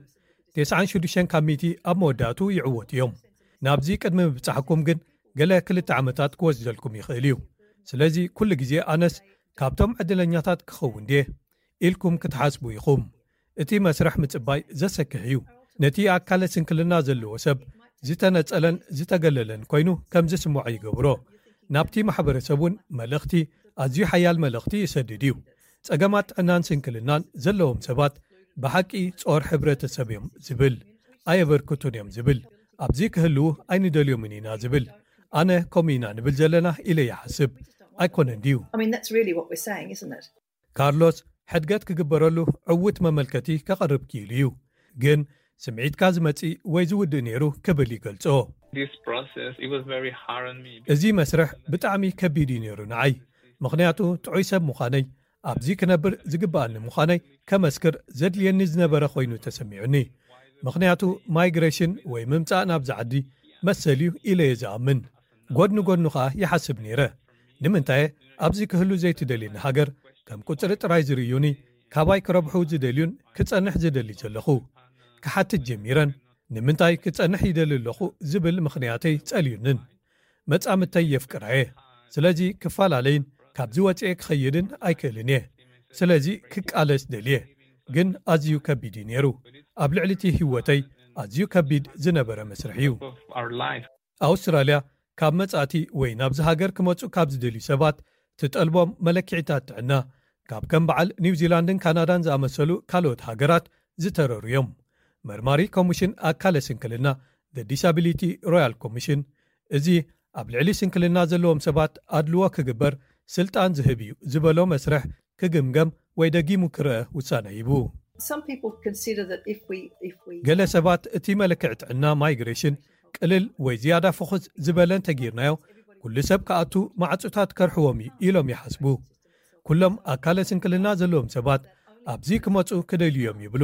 ተስዓን ሽዱሽተን ካብ ሚእቲ ኣብ መወዳእቱ ይዕወቱ እዮም። ናብዚ ቅድሚ ምብጻሕኩም ግን ገለ ክልተ ዓመታት ክወስደልኩም ይኽእል እዩ። ስለዚ ኩሉ ግዜ ኣነስ ካብቶም ዕድለኛታት ክኸውን ድየ ኢልኩም ክትሓስቡ ኢኹም። እቲ መስርሕ ምጽባይ ዘሰክሕ እዩ። ነቲ ኣካለ ስንክልና ዘለዎ ሰብ ዝተነጸለን ዝተገለለን ኮይኑ ከም ዝስምዖ ይገብሮ። ናብቲ ማሕበረሰብ እውን መልእኽቲ፣ ኣዝዩ ሓያል መልእኽቲ ይሰድድ እዩ። ጸገማት ጥዕናን ስንክልናን ዘለዎም ሰባት ብሓቂ ጾር ሕብረተሰብ እዮም ዝብል፣ ኣየበርክቱን እዮም ዝብል፣ ኣብዚ ክህልዉ ኣይንደልዮምን ኢና ዝብል። ኣነ ከምኡ ኢና ንብል ዘለና ኢለ ይሓስብ። ኣይኮነን ድዩ? I mean, that's really what we're saying, isn't it? ካርሎስ፣ ሕድገት ክግበረሉ ዕውት መመልከቲ ከቐርብ ክኢሉ እዩ። ግን ስምዒትካ ዝመጽእ ወይ ዝውድእ ነይሩ ክብል ይገልጾ። This process, it was very hard on me. እዚ መስርሕ ብጣዕሚ ከቢድ እዩ ነይሩ ንዓይ። ምኽንያቱ ጥዑይ ሰብ ምዃነይ፣ ኣብዚ ክነብር ዝግብኣኒ ምዃነይ ከመስክር ዘድልየኒ ዝነበረ ኮይኑ ተሰሚዑኒ። ምኽንያቱ ማይግሬሽን ወይ ምምጻእ ናብዚ ዓዲ መሰል እዩ ኢለ እየ ዝኣምን። ጎድኒ ጎድኑ ኸኣ ይሓስብ ነይረ። ንምንታይ ኣብዚ ክህሉ ዘይትደልየኒ ሃገር ከም ቁጽሪ ጥራይ ዝርእዩኒ፣ ካባይ ክረብሑ ዝደልዩን ክጸንሕ ዝደሊ ዘለኹ? ክሓትት ጀሚረን። ንምንታይ ክጸንሕ ይደሊ ኣለኹ ዝብል ምኽንያተይ ጸልዩንን። መጻምተይ የፍቅራ እየ። ስለዚ ክፈላለይን ካብዚ ወጽኤ ክኸይድን ኣይክእልን እየ። ስለዚ ክቃለስ ደልየ። ግን ኣዝዩ ከቢድ እዩ ነይሩ። ኣብ ልዕሊ እቲ ህይወተይ ኣዝዩ ከቢድ ዝነበረ መስርሕ እዩ። Of our life. ኣውስትራልያ ካብ መጻእቲ ወይ ናብዚ ሃገር ክመጹ ካብ ዝደልዩ ሰባት ትጠልቦም መለክዒታት ጥዕና፣ ካብ ከም በዓል ኒውዚላንድን ካናዳን ዝኣመሰሉ ካልኦት ሃገራት ዝተረሩ እዮም። መርማሪ ኮሚሽን ኣካለ ስንክልና፣ The Disability Royal Commission፣ እዚ ኣብ ልዕሊ ስንክልና ዘለዎም ሰባት ኣድልዎ ክግበር ስልጣን ዝህብ እዩ ዝበሎ መስርሕ ክግምገም ወይ ደጊሙ ክረአ ውሳነ ሂቡ። Some people consider that if we, if we ገለ ሰባት እቲ መለክዒ ጥዕና ማይግሬሽን ቅልል ወይ ዝያዳ ፍኹስ ዝበለ እንተጌርናዮ፣ ኩሉ ሰብ ክኣቱ ማዕጾታት ከርሕዎም እዩ ኢሎም ይሓስቡ። ኩሎም ኣካለ ስንክልና ዘለዎም ሰባት ኣብዚ ክመጹ ክደልዩ እዮም ይብሉ።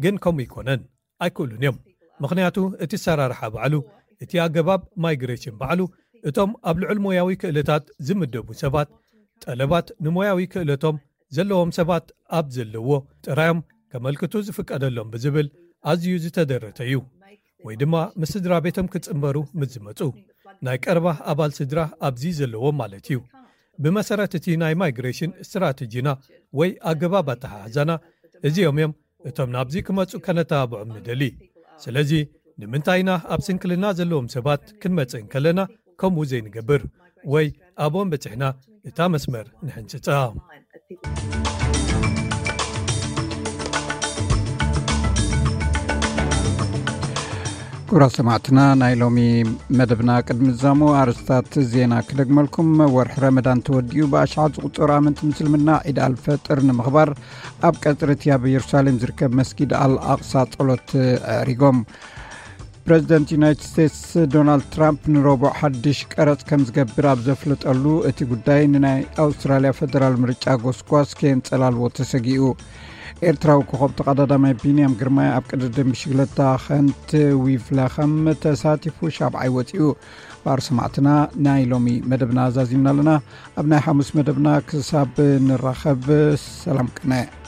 ግን ከምኡ ኣይኮነን። ኣይክእሉን እዮም። ምኽንያቱ እቲ ኣሰራርሓ ባዕሉ፣ እቲ ኣገባብ ማይግሬሽን ባዕሉ፣ እቶም ኣብ ልዑል ሞያዊ ክእለታት ዝምደቡ ሰባት፣ ጠለባት ንሞያዊ ክእለቶም ዘለዎም ሰባት ኣብ ዘለዎ ጥራዮም ከመልክቱ ዝፍቀደሎም ብዝብል ኣዝዩ ዝተደረተ እዩ። ወይ ድማ ምስ ስድራ ቤቶም ክጽንበሩ ምስ ዝመጹ፣ ናይ ቀረባ ኣባል ስድራ ኣብዚ ዘለዎም ማለት እዩ። ብመሰረት እቲ ናይ ማይግሬሽን ስትራቴጂና ወይ ኣገባብ ኣተሓሕዛና፣ እዚኦም እዮም እቶም ናብዚ ክመጹ ከነተባብዖም ንደሊ። ስለዚ ንምንታይ ኢና ኣብ ስንክልና ዘለዎም ሰባት ክንመጽእ እንከለና ከምኡ ዘይንገብር ወይ ኣብኦም በጺሕና እታ መስመር ንሕንጽጻ? ክቡራት ሰማዕትና፣ ናይ ሎሚ መደብና ቅድሚ ዝዛሙ ኣርእስታት ዜና ክደግመልኩም። ወርሒ ረመዳን ተወዲኡ ብኣሽሓት ዝቑጸሩ ኣመንቲ ምስልምና ዒድ ኣልፈጥር ንምኽባር ኣብ ቀጽሪ እቲ ኣብ ኢየሩሳሌም ዝርከብ መስጊድ ኣል ኣቕሳ ጸሎት ኣዕሪጎም። ፕረዚደንት ዩናይትድ ስቴትስ ዶናልድ ትራምፕ ንረቡዕ ሓድሽ ቀረጽ ከም ዝገብር ኣብ ዘፍለጠሉ፣ እቲ ጉዳይ ንናይ ኣውስትራልያ ፈደራል ምርጫ ጎስጓስ ከየንጸላልዎ ተሰጊኡ። ኤርትራዊ ኮኸብ ተቐዳዳማይ ቢንያም ግርማይ ኣብ ቅድድም ብሽግለታ ከንት ዊቭለኸም ተሳቲፉ ሻብዓይ ወጺኡ። ባር ሰማዕትና፣ ናይ ሎሚ መደብና ዛዚምና ኣለና። ኣብ ናይ ሓሙስ መደብና ክሳብ ንራኸብ፣ ሰላም ቅነ።